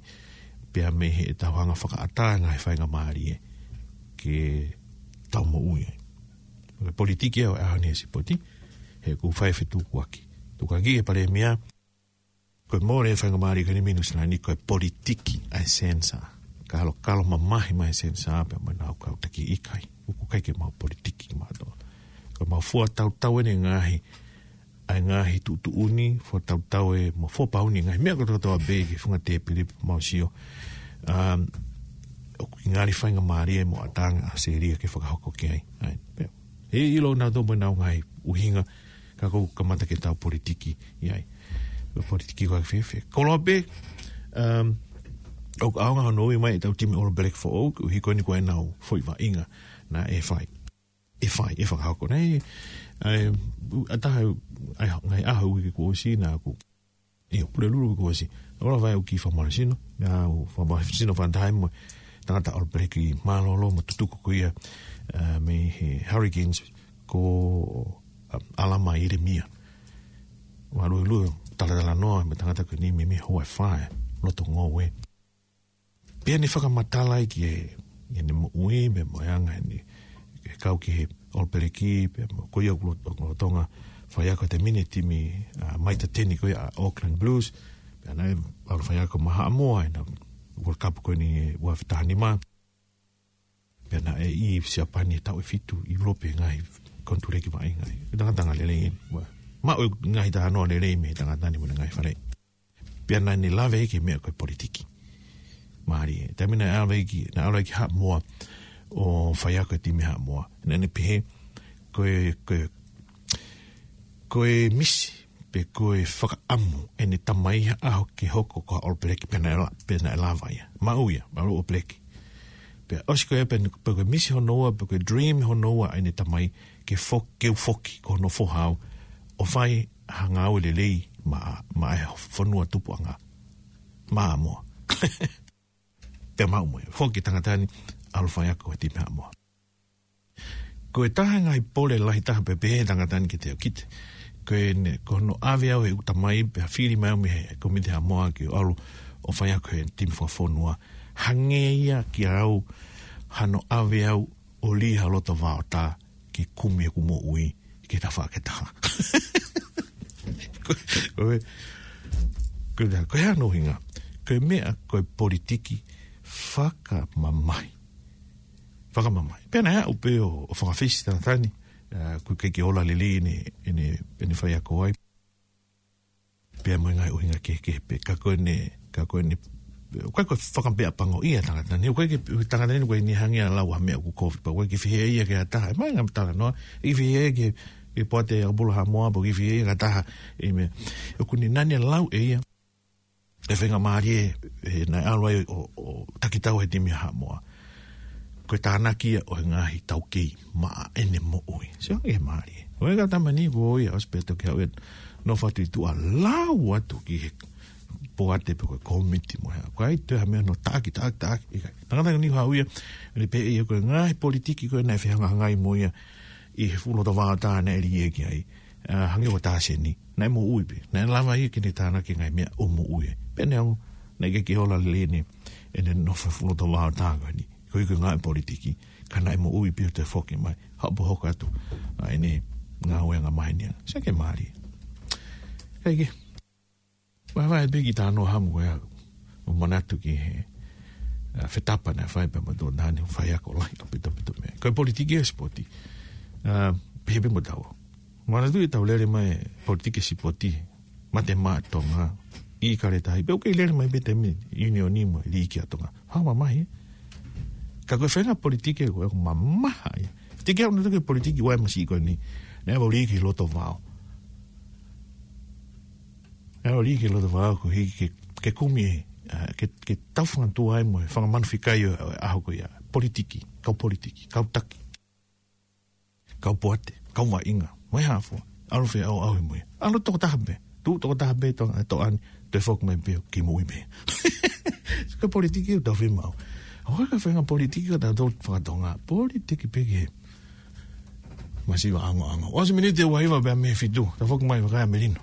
pea mei heʻetau hanga ʻo fakaʻatā e ngaahi faingamālie ke tau moʻui ai. Ko e politiki ʻa e ʻaho ni ʻa e sipoti, he ʻoku fai e fetukuaki. Tukuange ki he palēmia, ko e mole e faingamālie ko eni mei Nuʻusila ni ko e politiki ʻa e sensa. Kalokalo mamahi mai e sensa pea mo ʻenau kau taki ʻikai. ʻOku ʻikai ke maʻu politiki maʻa toa. Ko e maʻu fua tautau ʻene ngaahi, ʻa e ngaahi tuʻutuʻuni, fua tautau e mo fua pauni e ngaahi meʻa kotoa kotoa pē ki he funga tēpile pea mau sio. Um, ʻoku ʻi ai e ngaahi faingamālie mo ʻataʻatā ʻa e selia ke fakahoko ki ai. ʻAi, pea. ʻE ʻilo nautolu mo ʻenau ngaahi ʻuhinga, ka ʻoku kamata ke tau politiki ʻi ai. Ko e politiki ko e fēfē. Koloa pē, um, ʻoku ʻaonga hono ui mai ʻetau timi All Black foʻou, koeʻuhi ko eni ko ʻenau foʻi vaʻinga naʻe fai. ʻE fai, ʻe fakahoko. Naʻe, ʻa e, ʻa e taha, ʻa e, ngaahi ʻaho uike kuo ʻosi naʻa ku. ʻIo, Pulelulu kuo ʻosi. Ola vai au ki Fakamālohisino. Naʻa ku Fakamālohisino fantahi mo e tangata All Black mālōlō mo tutuku ko ia, ʻa, mei he Hurricanes ko, ʻa, ʻAlama ʻIlemia. Mālōlō, talatalanoa mo e tangata ko eni mei, mei he Hawaii Fire, loto ngoue. Pea ne fakamatala ai ki he, ʻene moʻui, pea mo e anga ʻene, ke kau ki he All Black, pea mo ko ia ʻoku lot-, ʻoku lolotonga faiako he taimi ni e timi, ʻa, Mitre ten ko ia ʻa Auckland Blues, pea naʻe ʻalu faiako maʻa Haʻamoa ʻi he World Cup ko eni ʻi he ua afe taha nima. Pea naʻe ʻi Siapani he taʻu ʻe fitu, ʻi ʻIulope ngaahi konituleki vaʻinga. Ko e tangata lelei eni. Ua, maʻu e ngaahi talanoa lelei mei he tangata ni mo ʻene ngaahi faleʻi. Pea naʻa ne lave ki he meʻa ko e politiki. Mālie, taimi naʻe ʻalu ai ki, naʻe ʻalu ai ki Haʻamoa ʻo faiako he timi Haʻamoa. Naʻa ne pehē, ko e, ko e, ko e misi, pe ko e fakaʻamu ʻene tamai ha ʻaho ke hoko ko ha All Black, pea naʻe la-, pea naʻe lava ia. Maʻu ia, maʻu All Black. Pea ʻosi ko ia pea, pea ko e misi hono ua, pea ko e dream hono ua ʻene tamai, ke fo-, ke u foki, ko hono foha au, ʻo fai ha ngāue lelei maʻa, maʻa e fonua tupuʻanga. Maʻa Haʻamoa. Pea maʻu mo ia. Foki tangata ni, ʻalu faiako he timi Haʻamoa. Ko e taha e ngaahi pole lahi taha pē pehē tangata ni ke te okite. Ko ʻene, ko hono ʻave au he ʻuta mai, pea fili mai au mei he Komiti Haʻamoa ke u ʻalu ʻo faiako he timi fakafonua. Hangē ia kiate au, hano ʻave au ʻo lī ha loto vaotā ke kumi ʻeku moʻui ke tafa ke taha. Ko, ko e, ko e, ko e hā hono ʻuhinga? Ko e meʻa, ko e politiki fakamamahi. Fakamamahi. Pea naʻe aʻu pē ʻo, ʻo fakafisi tangata ni, ʻa, ʻoku ʻikai ke ola lelei ʻene, ʻene, ʻene faiako ai. Pea mo e ngaahi ʻuhinga kehekehe pē. Ka ko ʻene, ka ko ʻene, ʻoku ʻikai ko e fakameʻapangoʻia tangata ni. ʻOku ʻikai ke, tangata ni ʻoku ʻikai ke ne hanga ʻo lau ha meʻa ʻoku kovi. Pea ʻoku ʻikai ke fehiʻa ia ki ha taha. ʻE mai ngam talanoa. ʻIkai fehiʻa ia ki he, ki he poate ʻa Kapula Haʻamoa, pea ʻikai fehiʻa ia ki ha taha. ʻI he meʻa, ʻoku ne nani lau ʻe ia e faingamālie, ʻe, naʻe ʻalu ai ʻo, ʻo takitau he timi Haʻamoa. Ko e tānaki ia ʻo e ngaahi taukei maʻa ʻene moʻui. Sio ki he mālie. ʻOku ʻikai ke tama ni ko ia ʻosi pē toki haʻu ʻo nofo atu ʻi tuʻa lau atu ki he poate pe ko e komiti mo e hā. Ko ai te ha meʻa ʻo taʻaki, taʻaki, taʻaki. ʻIkai. Tangata ni haʻu ia, ʻene pehē ia ko e ngaahi politiki ko ē naʻe fehangahangai mo ia ʻi he fuʻu loto vaotā naʻe lī ia ki ai. ʻA, hangē ko Taseni. Naʻe moʻui pē. Naʻe lava ia ke ne tānaki e ngaahi meʻa ʻo moʻui. Pea neongo, naʻe ʻikai ke ola lelei ʻene, ʻene nofo he fuʻu loto vaotā ko eni. Ko e ʻuhinga e politiki. Ka naʻe moʻui pē ʻo toe foki mai. Haʻu pē ʻo hoko atu. ʻA, ʻene ngāue angamaheni ia. Sio ki he mālie. Kae kehe. Vaevae pē ki he talanoa hamu ko ia, ʻo manatu ki he, ʻa, fetapa naʻe fai pea mo Tōnani, ʻo faiako lahi ʻaupito, ʻaupito mei ai. Ko e politiki ʻa e sipoti. ʻA, pehē pē mo taua. Manatu ʻi heʻetau lele mai politiki sipoti, Mate Maʻa Tonga, ʻIkale Tahi, pea ʻoku kei lele mai pē taimi ni, ʻiunioni mo e liiki ʻa Tonga. Fakamamahi. Ka ko e faʻahinga politiki ko ē ʻoku mamaha ia. Tiki au na tuke politiki ʻa e masiʻi ko eni. Naʻe ʻalu lī ki loto vao. Naʻe ʻalu lī ki loto vao ko e hiki ke, ke kumi, ʻa, ke, ke tau fanga tuʻa ai mo e fanga manu fika ʻo e ʻaho ko ia. Politiki, kau politiki, kau taki. Kau poate, kau vaʻinga, mo e hā fua. ʻAlu feʻauʻauhi mo ia. ʻAlu tokotaha pē. Tuʻu tokotaha pē ʻi Tonga, ʻi Tonga ni, toe foki mai pē ʻo kei moʻui pē. Ko e politiki ʻoku tau fiemaʻu. ʻOku ʻikai ko e faʻahinga politiki ʻoku tau fakatonga. Politiki pē ki he masiva ʻaonga ʻaonga. ʻOsi miniti ʻe ua hiva pea mei he fitu. Tau foki mai vakai ʻa Melino.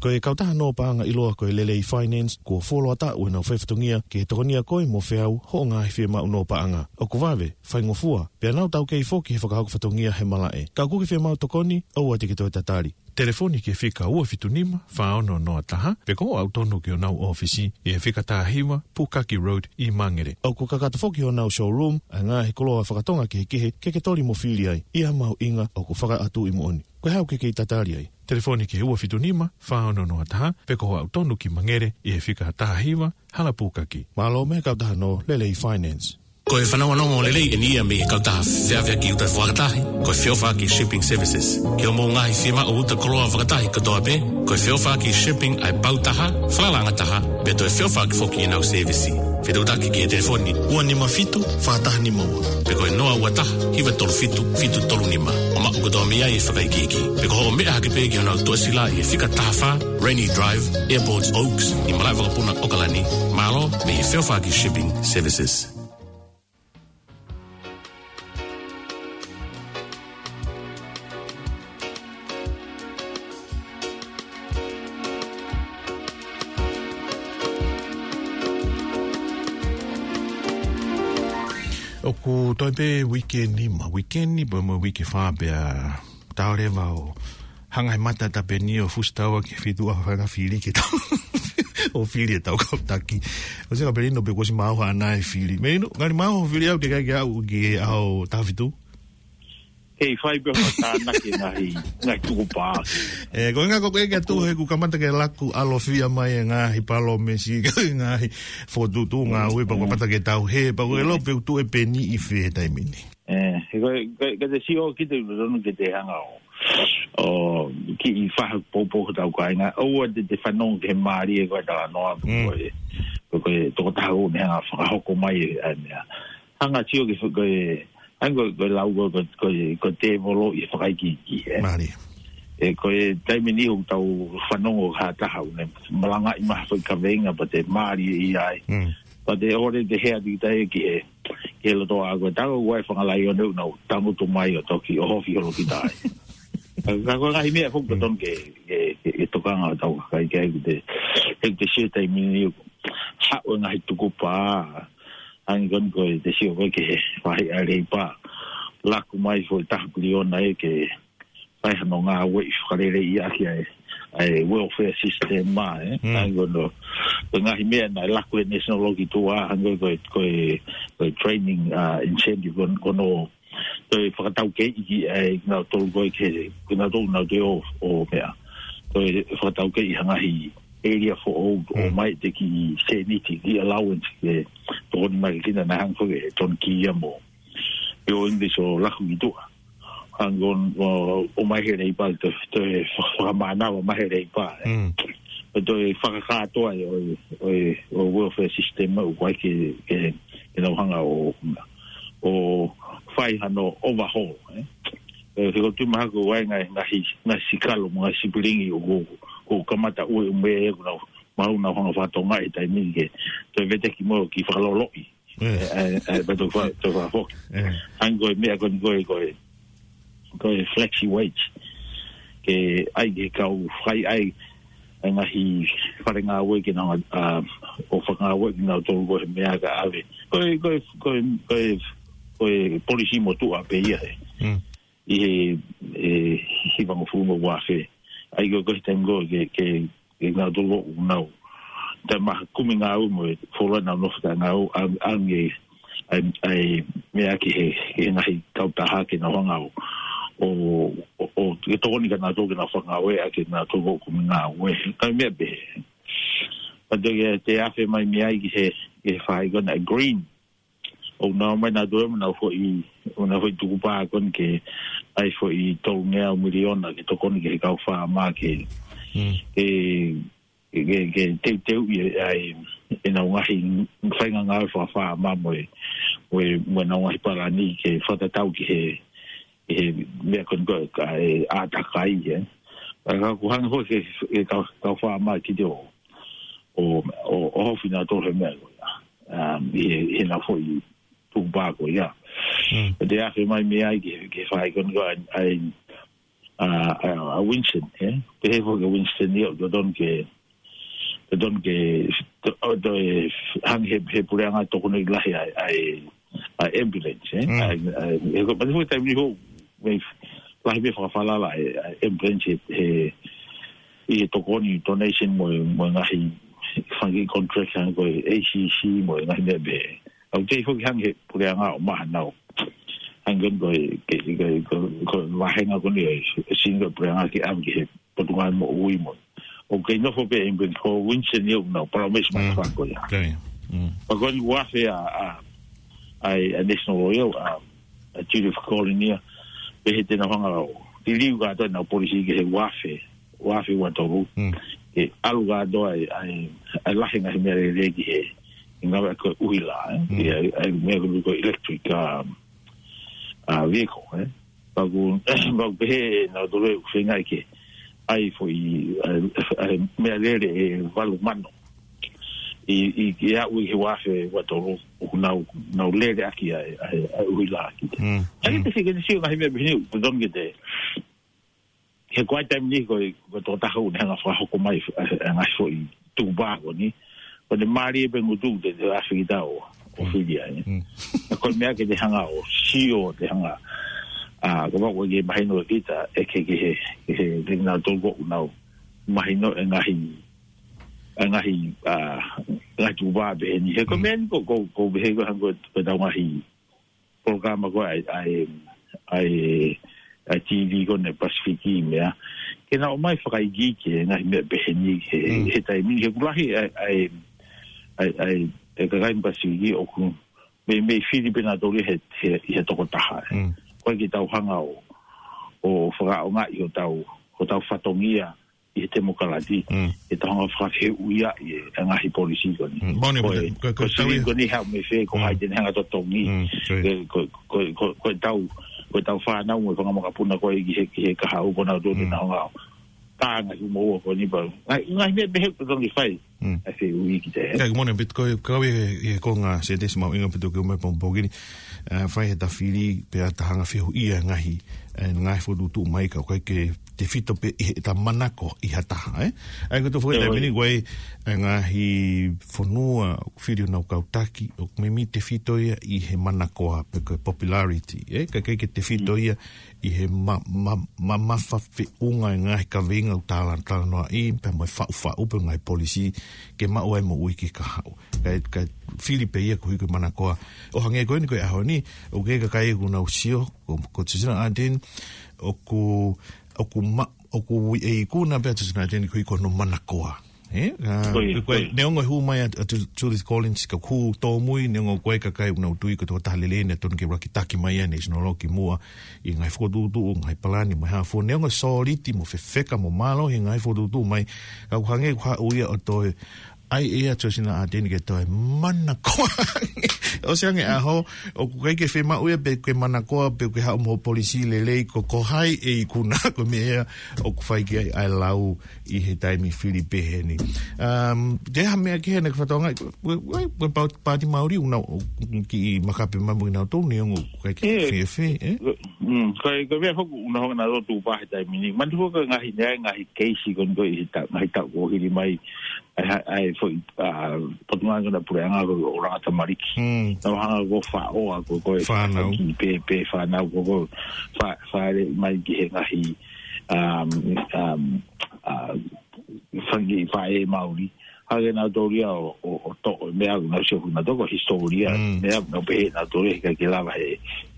Ko e kautaha nō paʻanga ʻiloa ko e Lelei Finance, kuo fuoloa taʻu ʻenau faifatongia ki he tokoni ʻa koe mo Feau hoʻo ngaahi fiemaʻu nō paʻanga. ʻOku vave, faingofua, pea nau taukei foki he fakahoko fatongia he malaʻe. Ka ʻoku ke fiemaʻu tokoni, ʻoua te ke toe tatali. Telefoni ki he fika ua fitu nima, fā ono noa taha, pe ko hoʻo aʻu tonu ki honau ʻōfisi, ʻi he fika taha hiva, Pukaki Road, ʻi Mangere. ʻOku kakato foki honau showroom, ʻa e ngaahi koloa fakatonga kehekehe, ke ke toli mo fili ai, ʻi ha mahuʻinga ʻoku fakaʻatu ʻi moʻoni. Ko e hā ʻoku ke kei tatali ai? Telefoni ki he ua fitu nima, fā ono noa taha, pe ko hoʻo aʻu tonu ki Mangere, ʻi he fika taha hiva, Hala Pukaki. Mālō mei he kautaha nō Lelei Finance. Ko e fanongonongo lelei eni ia mei he kautaha feʻaveʻaki uta fakatahi, ko e Feʻofaʻaki Shipping Services. Ki hoʻomou ngaahi fiemaʻu uta koloa fakatahi kotoa pē, ko e Feʻofaʻaki Shipping ʻa e pau taha, falalaʻanga taha, pea toe feʻofaʻaki foki ʻenau sēvisi. Fetuʻutaki ki he telefoni ua nima fitu, fā taha nima ua, pe ko e noa ua taha, hiva tolu fitu, fitu tolu nima. ʻO maʻu kotoa mei ai e fakaikiiki. Pe ko hoʻo meʻa hake pē ki honau tuʻasila ʻi he fika taha fā, Rainy Drive, Airport Oaks, ʻi malaʻe vakapuna ʻAokalani. Mālō mei he Feʻofaʻaki Shipping Services. ʻOku toe pē uike nima, uike ni, pea mo e uike fā pea tau leva ʻo hanga he mata tapeni ʻo fusi taua ki he fitu ʻa e faʻahinga fili ke tau. ʻO fili ʻetau kau taki. ʻOsi ka pē lino pē kuo ʻosi maʻu ha ʻana e fili. Melino, ngali maʻu hoʻo fili au ke kai ke aʻu ki he ʻaho taha fitu. Kei fai pē ha tānaki ngaahi, ngaahi tukupā. ʻE, ko e ʻuhinga ko ē ke tuʻu he kuo kamata ke laku ʻalofia mai e ngaahi palōmesi, ngaahi fokotuʻutuʻu ngāue pea kuo kamata ke tauhē, pea ko e lau pē ʻoku tuʻu e peni ʻi fē he taimi ni. ʻE, he ko e, ko e, ka te sio ki te tonu ke te hanga ʻo, ʻo kiʻi faha poupou hotau kāinga, ʻoua te te fanongo ki he mālie ko e talanoa, Mm. ko e, ko e tokotaha ʻoku ne hanga fakahoko mai e, ʻa e meʻa. Hanga sio ki he, ko e, ʻa e ko e, ko e lau ko e, ko e, ko e, ko e tēvolo ʻi he fakaikiiki, ē. Mālie. ʻE, ko e taimi ni ʻoku tau fanongo ha taha ʻoku ne malangaʻi mai ha foʻi kaveinga pea te mālie ʻi ai. Mm. Pea te ʻore te hea tiki tai ki he, Ke loto ʻa ko e tau ua e fanga laione ʻoku nau tangutu mai ʻo toki ʻohofi holo kita ai. Ka, ka ko e ngaahi meʻa foki totonu ke, ke, ke, ke tokanga ʻo tau kakai ke ai kute, he kute sio taimi ni haʻu e ngaahi tukupā. Hangē ko eni ko e te sio ko ē ki he faʻahi ʻa e Leipa. Laku mai foʻi taha piliona ē ke fai hano ngāueʻi fakaleleiʻi ʻaki ʻa e, ʻa e welfare system ma, ē. Mm. Hangē ko eni, ko e ngaahi meʻa naʻe laku he National Lottery Tour, hangē ko e, ko e, ko e training, uh, incentive ko, ko hono toe fakataukeiʻi ki ai kinautolu ko ē ke, kinautolu nau toe ō, ō meʻa. Toe fakataukeiʻi ha ngaahi area foʻou ʻo Mm. mai te ki sēniti, ki allowance ke tokoni mai ki na na hang foke, tonu ki ia mo. Pe ʻo English ʻo laku ki tuʻa. Hangē ko eni, ʻo, ʻo mai he Leipa, toe, toe fakamānava mai he Leipa, ē. Mm. Toe fakakātoa ʻo, ʻo, ʻo welfare system ʻoku ʻai ke, ke, ke nau hanga ʻo, ʻo fai hano overhaul, ē. Ē, he ko e tui mahalo ko e ngaahi, ngaahi, ngaahi sikalo, mo e ngaahi sipilingi ʻoku, ʻoku kamata ʻueʻume ʻoku nau maʻu nau hanga fakatokangaʻi he taimi ni ke, toe veteki mo e kiʻi fakaloloʻi. Ē. Ē, ē, ē, pea toe fa-, toe fakafoki. Ē. Hangē ko e meʻa ko eni ko e, ko e, ko e flexi wage. Ke ʻai ke kau fai ai, ʻa e ngaahi fale ngāue ke nau, a, ʻo fakangāueʻi kinautolu ko e meʻa ka ʻave. Ko e, ko e, ko e, ko e, ko e polisi motuʻa pē ia ē. Mm. ʻI he, ē, hivangofulu mo e ua afe. ʻAi ko e, ko e taimi ko ē ke, ke, ke kinautolu ʻoku nau. Taʻemaha kumi ngāue mo e fuoloa nau nofo taʻengāue, ʻa, ʻa e, ʻa e, ʻa e meʻa ki he, ki he ngaahi kautaha ke nau hanga ʻo, ʻo, ʻo, ʻo, ke tokoni kia nautolu ke nau fakangāueʻaki kinautolu ʻoku kumi ngāue. Ka meʻa pehē. Pea toe ke, te afe mai mei ai ki he, ki he faʻahi ko ena green. ʻOku nau mai nautolu mo nau foʻi, mo nau foʻi tukupā ko eni ke ʻai foʻi tolungeau miliona ke tokoni ki he kau fāmā ke, Mm. ke, ke, ke, ke teuteuʻi ʻa e, ʻenau ngaahi faʻahinga ngāue fakafāmā mo e, mo e, mo ʻenau ngaahi palani ke fakatatau ki he, he meʻa ko eni ko e, ka e ʻātakai, ē. Ka, ka ʻoku hangē foki ke, ke kau, kau fāmā ki te ʻo, ʻo, ʻo, ʻohofi nautolu he meʻa ko ia. Um, ʻi he, ʻi heʻenau foʻi tukupā ko ia. Mm. Te afe mai mei ai ke, ke fai ko eni ko ʻa e, ʻa e, ʻa, ʻa, ʻa Winston, ē? Pehē foki ʻe Winston ia, ʻoku totonu ke, totonu ke, to, ʻo toe hangē he, he puleʻanga tokoni lahi ʻa e, ʻa e, ʻa e ambulance, ē? Mm. ʻA e, ʻa e, he ko e, pati foki taimi ni ho, mei lahi pē fakafalala ʻa e, ʻa e ambulance he, he, ʻi he tokoni donation mo e, mo e ngaahi fanga kiʻi contract hangē ko e A C C mo e ngaahi meʻa pehē. ʻOku tei foki hangē he puleʻanga ʻo maha nau. Hangē ko e, ke, ke, ko, ko e vāhenga ko eni ʻe, ʻe sini ko e puleʻanga ke ʻave ki he Potungāue Moʻui mo. ʻOku kei nofo pē ʻe Winston, ko Winston ia ʻoku nau, palaumesi mai Mm. fako ia. Okay. Mm. Pea ko eni ua afe ʻa, ʻa, ʻa e, ʻa e National Lottery, ʻa, ʻa Judith Colonia, pehē te nau hanga ʻo liliu kātoa ʻenau polisi ki he ua afe, ua afe ua tolu. Mm. Ke ʻalu kātoa ʻa e, ʻa e, ʻa e lahi ngaahi meʻalele ki he, ʻi he ngāue ko e ʻuhila, ē? Mm. ʻI he, ʻa e, ʻa e meʻa ko e, ko e electric, um, uh, vehicle, ē? Pea ʻoku, pea ʻoku pehē nautolu ʻoku feinga ke ʻai foʻi, ʻa e, ʻa e meʻalele ʻe valu mano. ʻI, ʻi, ke aʻu ʻi he ua afe ua tolu, ʻoku nau, nau lele ʻaki ʻa e, ʻa e, ʻa e ʻuhila ki te. Mm. ʻA ia Mm. te sio, ke te sio ngaahi meʻa pehē ni, ʻoku totonu ke te, he ko e taimi ni ko e, ko e tokotaha ʻoku ne hanga fakahoko mai, ʻa, ʻa e ngaahi foʻi tukupā ko eni. Ko ʻene mālie pē ngutu te, te afe kita ʻo, ʻo Mm. fili ai. Mm. Ko e meʻa ke te hanga ʻo sio, te hanga, ʻa, ko e meʻa ʻoku ke mahino ʻe kita, ʻe ke, ke he, ke he, ke nautolu ʻoku nau mahino e ngaahi, e ngaahi, ʻa, ngaahi tukupā pehē ni. He ko e Mm. meʻa ni ko, ko, ko pehē ko hangē ko, ko ʻetau ngaahi polokalama ko ē ʻa e, ʻa e, ʻa e, ʻa e T V ko eni Pasifiki meʻa. Ke nau ō mai fakaikiiki he ngaahi meʻa pehē ni he, Mm. he taimi ni he ʻoku lahi ʻa e, ʻa e, ʻa e, ʻa e, ʻa e kakai Pasifiki ʻoku mei, mei fili pē nautolu he, he, he tokotaha. Mm. ʻOku ʻikai ke tau hanga ʻo, ʻo fakaʻaongaʻi hotau, hotau fatongia ʻi he temokalati, Mm. ʻetau hanga fakafehuʻiaʻi e, e ngaahi polisi ko eni. Mm. Moni, Ko e, ko e, ko e ko e sili tau ko eni haʻu mei fē, ko Mm. hai te ne hanga totongi. Mm. Sorry. Ko e, ko e, ko e, ko e, ko ʻetau, ko ʻetau fānau mo e fanga makapuna ko ē ki he, ki he kahaʻu ko ē nautolu te Mm. nau hanga ʻo Pā ngaahi uma ua ko eni pau. Ngaahi, ngaahi meʻa pehē ʻoku totonu ke fai. Mm. ʻA e fehuʻi ki te. Ka moʻoni pē ko e, kau e, e konga Setesi Mahuʻinga pē ʻoku ke ʻomai pongipongi ni. ʻE, fai he tafili pea ta hanga fehuʻia ngaahi, ʻe, ngaahi fokotuʻutuʻu mai ka ʻoku ʻikai ke tefito pē ʻi he ta manako ʻi ha taha, ē? ʻA ia ko e tau foki ʻIo, taimi ni ʻio. ko e, ʻe, ngaahi fonua, fili ʻo nau kau taki, ʻoku meimei tefito ia ʻi he manakoa pe ko e popularity, ē? Ka ʻikai ke tefito Mm. ia ʻi he ma-, ma-, mamafa feʻunga e ngaahi kaveinga ʻoku tala, talanoaʻi, pea mo e faʻufaʻu pe ngaahi polisī, ke maʻu ai moʻui ki he kahaʻu. Ka, ka fili pē ia ko e hiki manakoa. ʻO hangē ko eni ko e ʻaho ni, ʻoku ʻi ai e kakai ʻoku nau sio, ko, ko Justina Ardern, ʻoku, ʻoku ma-, ʻoku ui e ikuna pē ʻa Justina Ardern ko e ikuna manakoa. Ē? ʻA, Ko ia, ko e, ko ia. neongo e hū mai ʻa, ʻa Ju-, Judith Collins ka ʻoku tōmui, neongo ko e kakai ʻoku nau tui ko e tokotaha lelei naʻe tonu ke rakitaki mai ʻa e National Law ki muʻa ʻi he ngaahi fokotuʻutuʻu, ngaahi palani, mo e hā fua, neongo e sōliti, mo fefeka, mo mālohi e ngaahi fokotuʻutuʻu mai, ka ʻoku hangē ʻoku haʻu ia ʻo toe ʻai ʻe ia ʻa Justina Ardern ke toe manakoa. ʻOsi ange ʻaho, ʻoku ʻikai ke fiemaʻu ia pe ke manakoa, pe ke haʻu mo e polisī lelei, ko, ko hai e ikuna, ko e meʻa ia ʻoku fai ki ai ʻa e lau ʻi he taimi fili pehē ni. Um, te ha meʻa kehe naʻa ke fakatokangaʻi, ko e, ko e, ko e pā-, Pāti Maori ʻoku nau, ʻoku kiʻi makape mai mo kinautolu neongo ʻoku ʻikai ke ʻIo. fēfē, ē? Mm, ko e, ko e meʻa foki ʻoku nau hanga ʻo tuʻu pē he taimi ni. Manatuʻi foki ngaahi, ngaahi keisi ko eni ko e ʻi he ta-, ngaahi taʻu kuo hili mai. ʻA e ha-, ʻa e foʻi, ʻa, potungāue ko ena puleʻanga ko e ʻulungaanga tamariki. Mm. Nau hanga ʻo faʻo ʻa ko, ko e Fānau. ki pē, pē fānau ko, ko fa-, fale mai ki he ngaahi, um, um, uh, fanga kiʻi faʻē Maori. Hake nautolu ia ʻo, ʻo, ʻo toʻo e meʻa ʻoku nau sio ki ai nautolu ko e hisitōlia. Mm. Meʻa ʻoku nau pehē nautolu he ʻikai ke lava he,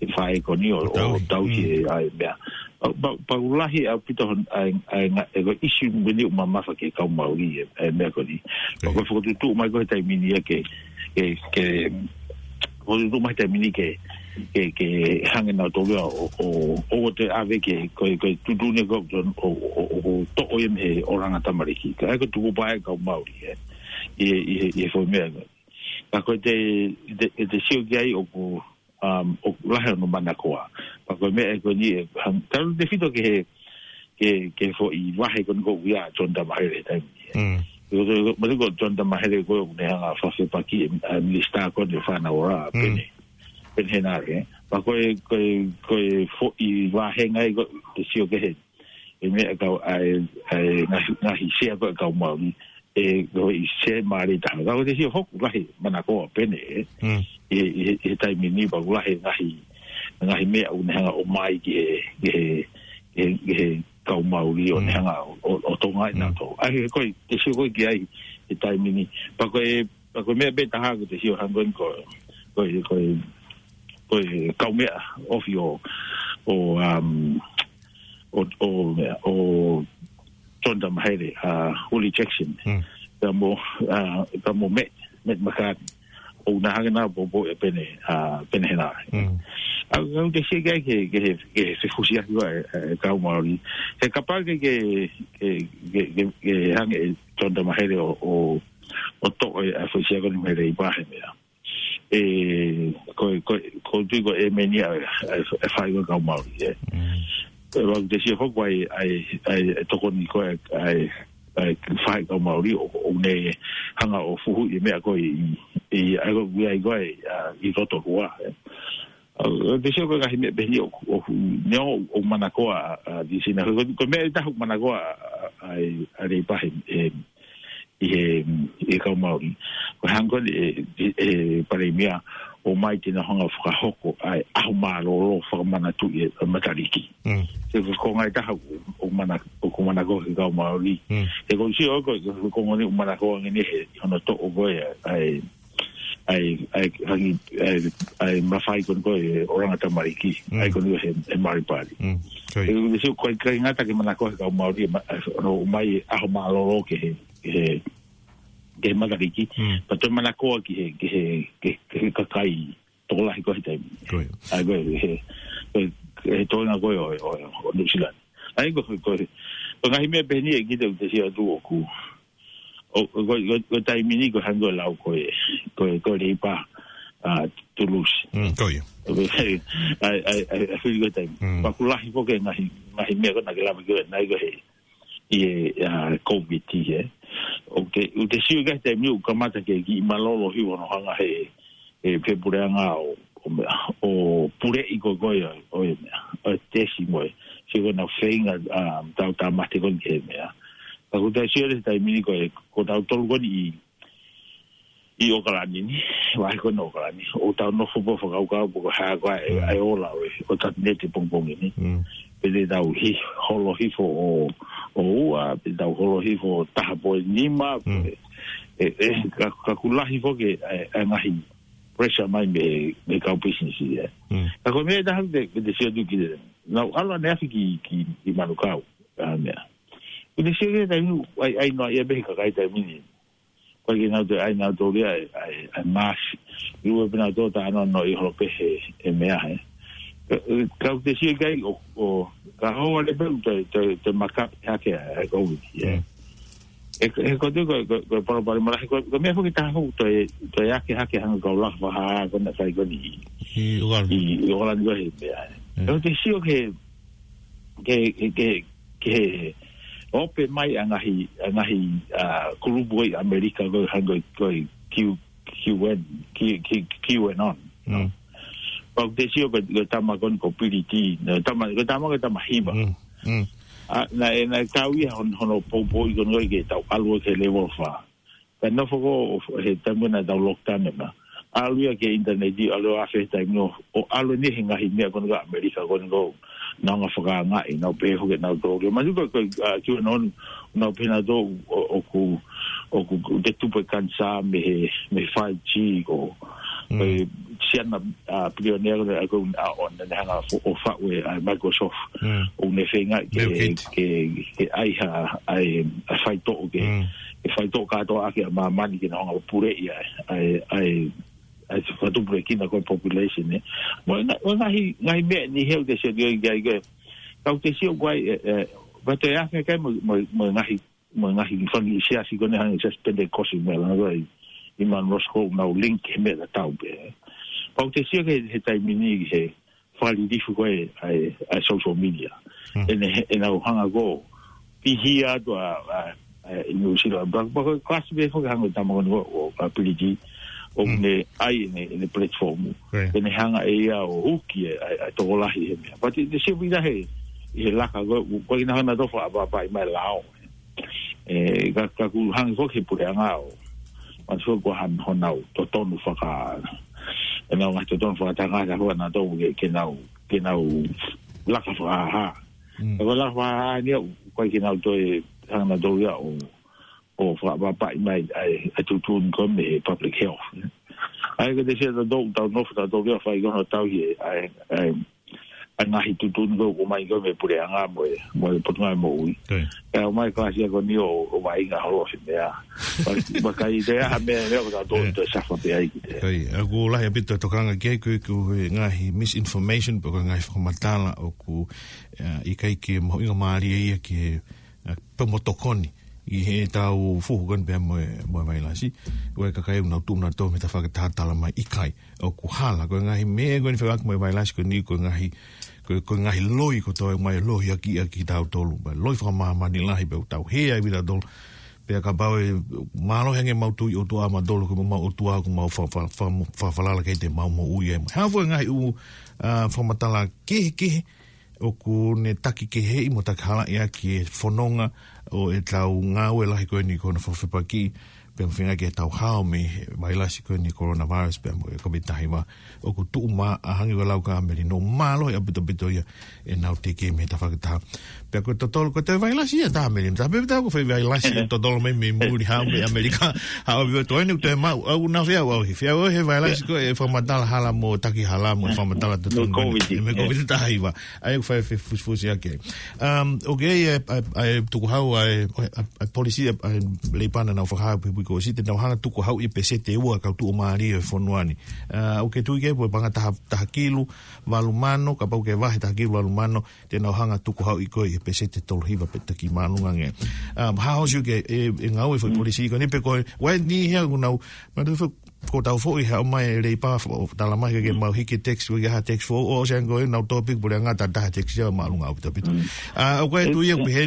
he faʻē ko eni ʻo, ʻo Tauhi. tauhi Mm. e, ʻa e meʻa. Pea, pea, pea ʻoku lahi ʻaupito hon-, ʻa e, ʻa e nga-, ʻa e ko e ʻisiū ko eni ʻoku mamafa ki he kau Maori e, e meʻa ko eni. Pea Ko ia. ko e fokotuʻutuʻu mai ko e he taimi ni ia ke, ke, ke, fokotuʻutuʻu mai he taimi ni ke, ke, ke hanga nautolu ia ʻo, ʻo, ʻo, ʻo toe ʻave ke, ko e, ko e tuʻutuʻuni ko ē ʻo, ʻo, ʻo, ʻo toʻo ia mei he ʻulungaanga tamariki. Ka ʻoku tuku pē ʻa e kau Maori, ē. ʻI he, ʻi he, ʻi he foʻi meʻa. Ka ko e te, te, te sio ki ai ʻoku, um, ʻoku lahi hono manakoa. Pea ko e meʻa ko eni ʻe hang-, talu tefito ki he, ki he, ki he foʻi vahe ko eni ko ia ʻa John Tamahere he taimi ni. Mm. Ko, ko, ko, manatuʻi ko John Tamahere ko ē ʻoku ne hanga ʻo fakafepaki e, ʻa e minisitā ko eni ʻo e fānau ora, Mm. Pene, Pene Henare. Pea ko e, ko e, ko e foʻi vahenga ia ko e te sio ki he, e meʻa kau ʻa e, ʻa e ngaahi, ngaahi sea ko ē kau Maori, ʻe ko e sea mālie taha. Ka ko e te sio foki ʻoku lahi manakoa Pene, ē. Mm. ʻI he, ʻi he, ʻi he taimi ni pea ʻoku lahi ngaahi, ngaahi meʻa ʻoku ne hanga ʻo ʻomai ki he, ki he, ki he, ki he kau Maori ʻo ne Mm. hanga ʻo, ʻo, ʻo tokangaʻi Mm. nautolu. ʻA ia ko e te sio ko ē ki ai he taimi ni. Pea ko e, pea ko e meʻa pē taha ʻoku te sio hangē ko eni ko, ko e, ko e, ko e kaumeʻa ofi ʻo, ʻo, um, ʻo, ʻo, ʻo John Tamahere, ʻa, Willie Jackson. Mm. Pea mo, ʻa, pea mo Matt, Matt McCartney. ʻOku na hanga ʻo poupou e Pene, ʻa, Pene Henare. Mm. ʻA, ʻoku te sio ki ai ki he, ki he, ki he fefusiaki ʻa e, e kau Maori. He kapau ke, ke, ke, ke, ke, ke hanga ʻe John Tamahere ʻo, ʻo, ʻo toʻo e, ʻa e foʻi sea ko eni mei he Leipa he meʻa. ʻE, ko, ko, ko e tui ko e meni ʻa, ʻa, ʻa e fai ko ē kau Maori, ē. Mm. ʻE, ʻoku te sio foki ʻa e, ʻa e, ʻa e, ʻa e tokoni ko ē, ʻa e, ʻa e fai kau Maori ʻo, ʻo ne hanga ʻo fuhu e meʻa ko ē ʻi, ʻi, ʻa e ko ē, ʻa e ko ē, ʻa, ʻi Rotorua, ē. ʻA, ʻoku te sio ko e ngaahi meʻa pehē ni ʻo, ʻo, neongo ʻoku manakoa, ʻa, ʻa, Justina. Ko, ko e meʻa ʻe taha ʻoku manakoa, ʻa, ʻa, ʻa e, ʻa e Leipa he, he, ʻi he, ʻi he kau Maori. Ko e hangē ko eni e, e, e Palēmia ʻomai ke na hanga ʻo fakahoko ʻa e ʻaho mālōlō fakamanatu ʻi he Matariki. Mm. He ko e konga ʻe taha ʻoku, ʻoku mana-, ʻoku manakoa ki he kau Maori. Mm. He ʻoku ou sio ko e, ko e konga ni ʻoku manakoa ange ni he, hono toʻo ko ē ʻa e, ʻa e, ʻa e, ʻa e, ʻa e, ʻa e mafai ko eni ko ē ʻulungaanga tamariki. Mm. ʻA e ko eni he, he Maori Party. Mm. Ko ia. He ʻoku ou sio ko e ʻikai ngata ke manakoa ki he kau Maori, ma-, ʻa, hono ʻomai ʻaho mālōlō ki he, ki he, ki he Matariki. Mm. Pea toe manakoa ki he, ki he, ki he, ki he kakai tokolahi ko ē he taimi. Ko ia. ʻA ia ko e, he, he, he toenga ko ē ʻo, ʻo, ʻo Nuʻusila ni. ʻA ia ko e, ko e, ko e ngaahi meʻa pehē ni ʻe kita ʻoku te sio atu ʻoku. ʻO, ʻo, ko e, ko e, ko e taimi ni ko e hangē ko e lau ko ē, ko e, ko e Leipa, ʻa, Toulouse. Mm, ko ia. ʻA e, ʻa e, ʻa e, ʻa e fili ko e taimi. Mm. Pea ʻoku lahi foki e ngaahi, ngaahi meʻa ko ē naʻa ke lave ki ai, naʻe ʻi ai ko ē he ʻi he, ʻa, COVID ē. ʻOku te, ʻoku te sio ki he taimi ʻoku kamata ke kiʻi mālōlō hifo hono hanga he, he puleʻanga ʻo, ʻo meʻa, ʻo puleʻi ko ē ko ē ʻo, ʻo e meʻa, ʻo e tesi mo e. Sio ko ʻenau feinga, ʻa, tau tāmate ko eni ki he meʻa. Ka ʻoku te sio he taimi ni ko ē, ko tautolu ko eni ʻi, ʻi ʻOkalani ni, vahe ko eni ʻOkalani. ʻOku tau nofo pē ʻo fakakaukau pe ko e hā ko ē, Mm. ʻa e ola ʻo e, ʻo e kapineti pongipongi ni. Mm. Pe te tau hi-, holo hifo ʻo, ʻo ua, pe tau holo hifo ʻo taha poini nima, Mm. pe, ʻe, ʻe, ka, ka ʻoku lahi foki ʻa e, ʻa e ngaahi pressure mai mei, mei he kau pisinisi ē. Mm. Ka ko e meʻa ʻe taha te, te sio atu ki he, naʻa ku ʻalu ʻaneafi ki, ki, ki Manukau, ʻa e meʻa. ʻOku te sio ki he taimi, ʻai, ʻai noa ia pē he kakai taimi ni. Ko e ke nau te ai nau tō lia ai, ai, ai mask. ʻIo pē nau tō tā no no ʻi holo pē he, he meʻa he. Ka, ka ʻoku te sio ki ai ʻo, ʻo, ka hoa le pē te, te, te maka hake ai COVID ē. Mm. E, e ko te ko, ko, ko palopalema lahi ko, ko e meʻa foki taha foki te, te hake hake hanga kau laka fakahā ko ena fai ko eni. ʻI ʻOkalani. ʻI, ʻi ʻOkalani ko e he meʻa ē. Mm. Ka ʻoku te sio ki he, ki he, ki he, ki he ope mai ʻa e ngaahi, ʻa e ngaahi, ʻa, kulupu ʻi ʻAmelika ko e hangē ko e Q, Q N, Q, Q, QAnon. Mm. Pea ʻoku te sio ko e, ko e tama ko eni ko Billy D, naʻe tama, ko e tama ko e tama hiva. Mm, mm. ʻA, naʻe, naʻe kau ia hon-, hono poupouʻi ko eni ko e ke tau ʻalu ki he level fā. Ka nofo ko ē he taimi naʻa tau lockdown ē ma. ʻAlu ia ki he ʻinitaneti, ʻalu ʻo afe he taimi ʻo, ʻo ʻalu eni he ngaahi meʻa ko eni ko ʻAmelika ko eni ko ē. Nau hanga fakaangaʻi, nau pehē foki ʻe nautolu. Ma tuka ko, ʻa, kiu e nonu, nau pehē nautolu ʻo, ʻoku, ʻoku, ʻoku te tupu e kanisā mei he, mei he five G ko. Mm. Ko e siana, ʻa, pilionea ko ē, ʻa, ko, ʻa, ʻo ne hanga fo-, ʻo faʻu e, ʻa, Microsoft. Mm. ʻO ne feinga ke, Bill Gates. ke, ke ʻai ha, ʻa e, ʻa e faitoʻo ke, Mm. ke faitoʻo kātoa ʻaki ʻa māmani ke nau hanga ʻo puleʻi ʻa e, ʻa e, ʻa e, ʻa e fakatupulekina ko e population ē. Mo e nga-, mo e ngaahi, ngaahi meʻa ni he ʻoku te sio ki ai, ki ai, ki ai. Ka ʻoku te sio ko ē, ʻe, ʻe, pea toe afe ki ai mo, mo, mo e ngaahi, mo e ngaahi fanga siasi ko eni hangē siasi Penitekosi mo e langa ko ē ʻi, ʻi Monroe School nau link he meʻa tatau pē. Pea ʻoku te sio ki he, he taimi ni he, fakalilifu ko ē ʻa e, ʻa e social media. Hmm. ʻEne, ʻenau hanga ko ē pihia atu ʻa, ʻa, ʻa, ʻi New Zealand. Pea, pea ko e kalasi pē foki hanga ʻo tama ko eni ko, ʻo, ʻa Billy D, ʻo Hmm. ne ʻai ʻene, ʻene platform. Right. ʻEne hanga ʻe ia ʻo uki e, ʻa e, ʻa e tokolahi he meʻa. Pea te, te sio pē ʻi he, ʻi he laka ko ē, ko e ʻikai ke nau hanga ʻo fakaʻapaʻapaʻi mai lao. ʻE, ka, ka ʻoku hangē foki he puleʻanga ʻo. Ma tuku ko han honau totonu faka-, ʻenau ngaahi totonu fakatangata ko ē nautolu ke, ke nau, ke nau laka fakahā. Mm. Ka ko e laka fakahā ni ʻoku ʻikai ke nau toe hanga nautolu ia ʻo, ʻo fakaʻapaʻapaʻi mai ʻa e, ʻa e tuʻutuʻuni ko ē mei he public health. ʻA ia ko e te sio tautolu, tau nofo tautolu ia ʻo fai ko ē hono tauhi e, ʻa e, ʻa e, ʻa e ngaahi tuʻutuʻuni ko ē ʻoku ʻomai ko ē mei he puleʻanga mo e, mo e Potungāue Moʻui. Ko ia. ʻE ʻomai kalasi ko eni ʻo, ʻo vaʻinga holo he meʻa. Pea, pea ʻikai toe ʻi ai ha meʻa, meʻa ko tautolu Ko ia. toe safa pē ai ki te. Ko ia, ʻoku lahi ʻaupito e tokanga ki ai ko e, ko e ngaahi misinformation, pe ko e ngaahi fakamatala ʻoku, ʻa, ʻikai ke mahuʻinga mālie ia ki he, ʻa, pe mo tokoni ʻi heʻetau fuhu ko eni pea mo e, mo e vailasi. Ko e kakai ʻoku nau tuʻu nautolu mei he tafaʻaki taha tala mai ʻikai. ʻOku hala, ko e ngaahi meʻa ko eni fekauʻaki mo e vailasi ko eni, ko e ngaahi, ko e, ko e ngaahi loi kotoa ʻoku ʻomai loi ʻaki, ʻaki tautolu. Pea loi fakamāmani lahi pea ʻoku tau hē ai ʻa tautolu. Pea kapau ʻe mālohi ange ʻemau tui ʻOtua mautolu, ko ʻemau ʻOtua ʻoku mau fa-, fa-, fa-, fa-, falala ki ai te mau moʻui ai. Hā fua e ngaahi ʻū, ʻa, fakamatala kehekehe, ʻoku ne taki keheʻi mo taki halaʻi ʻaki e fononga ʻo ʻetau ngāue lahi ko eni ko hono fakafepakiʻi, pea mo e feinga ke tau hao mei he vailasi ko eni coronavirus pea mo e COVID taha hiva. ʻOku tuʻu mā-, ʻa, hangē ko e lau ʻa Melino, mālohi ʻaupito ʻaupito ia ʻenau teke mei he tafaʻaki taha. Pea ko e totolo, ko e toe vailasi ia ʻe taha Melino, taha pē ʻe taha ko e fai vailasi ʻe totolo mai mei muli hao mei ʻAmelika, hao mei toe ni, toe mau, ʻoku nau feʻauhi, feʻauhi he vailasi ko e fakamatala hala mo taki hala mo e fakamatala Mo totolo COVID. mo e COVID taha hiva. ʻA ia ʻoku fai fefusifusi ʻaki. Um, ʻoku ʻi ai e, ʻa e, ʻa e tukuhau ʻa e, ʻa e, ʻa e polisi ʻa e, ʻa e Leipana naʻa nau fakahā he uike kuo ʻosi te nau hanga ʻo tukuhauʻi e peseti ʻe ua ʻo e kau tuʻumālie ʻo e fonua ni. Uh, ʻoku ke tui ki ai pe ko e paʻanga taha, taha kilu, valu mano, kapau ke vahe taha kilu valu mano, te nau hanga ʻo tukuhauʻi koe ʻi he peseti ʻe tolu hiva pe taki māʻolunga ange. Um, hā hoʻo sio ki he, e, e ngāue ʻa e foʻi Mm. polisi ko eni pe ko e, ʻoku ʻi ai ni ia ʻoku nau, ma te fo-, Ko tau foʻi ha mai e Leipa fo-, tala mai ke mau hiki tax, ko e ha tax foʻou, ʻo se ange ko e nau topic puleʻanga ta taha tax ia māʻolunga ʻaupito ʻaupito. ʻA, ʻoku ʻi ai e tuʻu ia ʻoku pehē,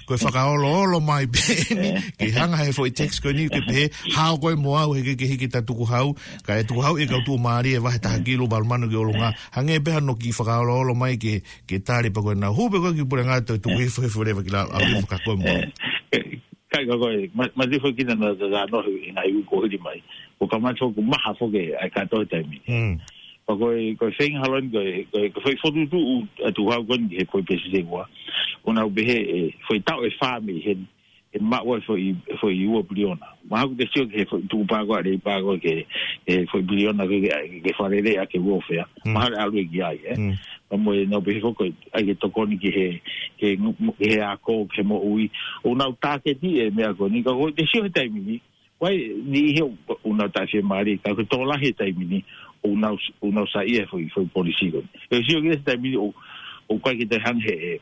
ko e fakaoloolo mai pē eni, ke hanga he foʻi tax ko eni ke pehē, hao koe mo au he ke, ke hiki ta tukuhau, ka e tukuhau ʻe kau tuʻumālie ʻe vahe taha kilu, valu mano ki ʻolunga, hangē pē hano kiʻi fakaoloolo mai ke, ke tali pē ko e nau. Hū pē ko e ki puleʻanga toe tuku hifo hifo leva ki lalo, ʻalu hifo ka koe mo au. Kai ka koe, ma, ma tifo kina na ta ta no he ngaahi uike kuo hili mai. Ko ka mato ku maha foke ai ka toe taimi. Mm. Pea ko e, ko e feinga holo eni ko e, ko e, ko e foʻi fokotuʻutuʻu ʻa e tukuhau ko eni he foʻi pesisengua. ʻO nau pehē e, foʻi taʻu ʻe fā mei heni, ʻe maʻu ai foʻi, foʻi ua piliona. Mahalo ʻoku te sio ki he foʻi tukupā ko ē ʻa e Leipa ko ē ke, e foʻi piliona ko ē ke, ke fakalele ʻaki e welfare. Mm. Mahalo ʻe ʻalu ia ki ai, ē. Mm. Pea mo e nau pehē foki, ʻai ke tokoni ki he, ke ngu-, ke he ako, ke moʻui. ʻO nau tāketi e meʻa ko eni, ka ko e te sio he taimi ni, ʻoku ʻi ai e niʻihi ʻoku nau taʻefiemālie, ka ko e tokolahi he taimi ni, ʻoku nau, ʻoku nau saiʻia he foʻi, foʻi polisī ko eni. ʻE sio ki he taimi ni, ʻoku, ʻoku ʻikai ke te hanga he,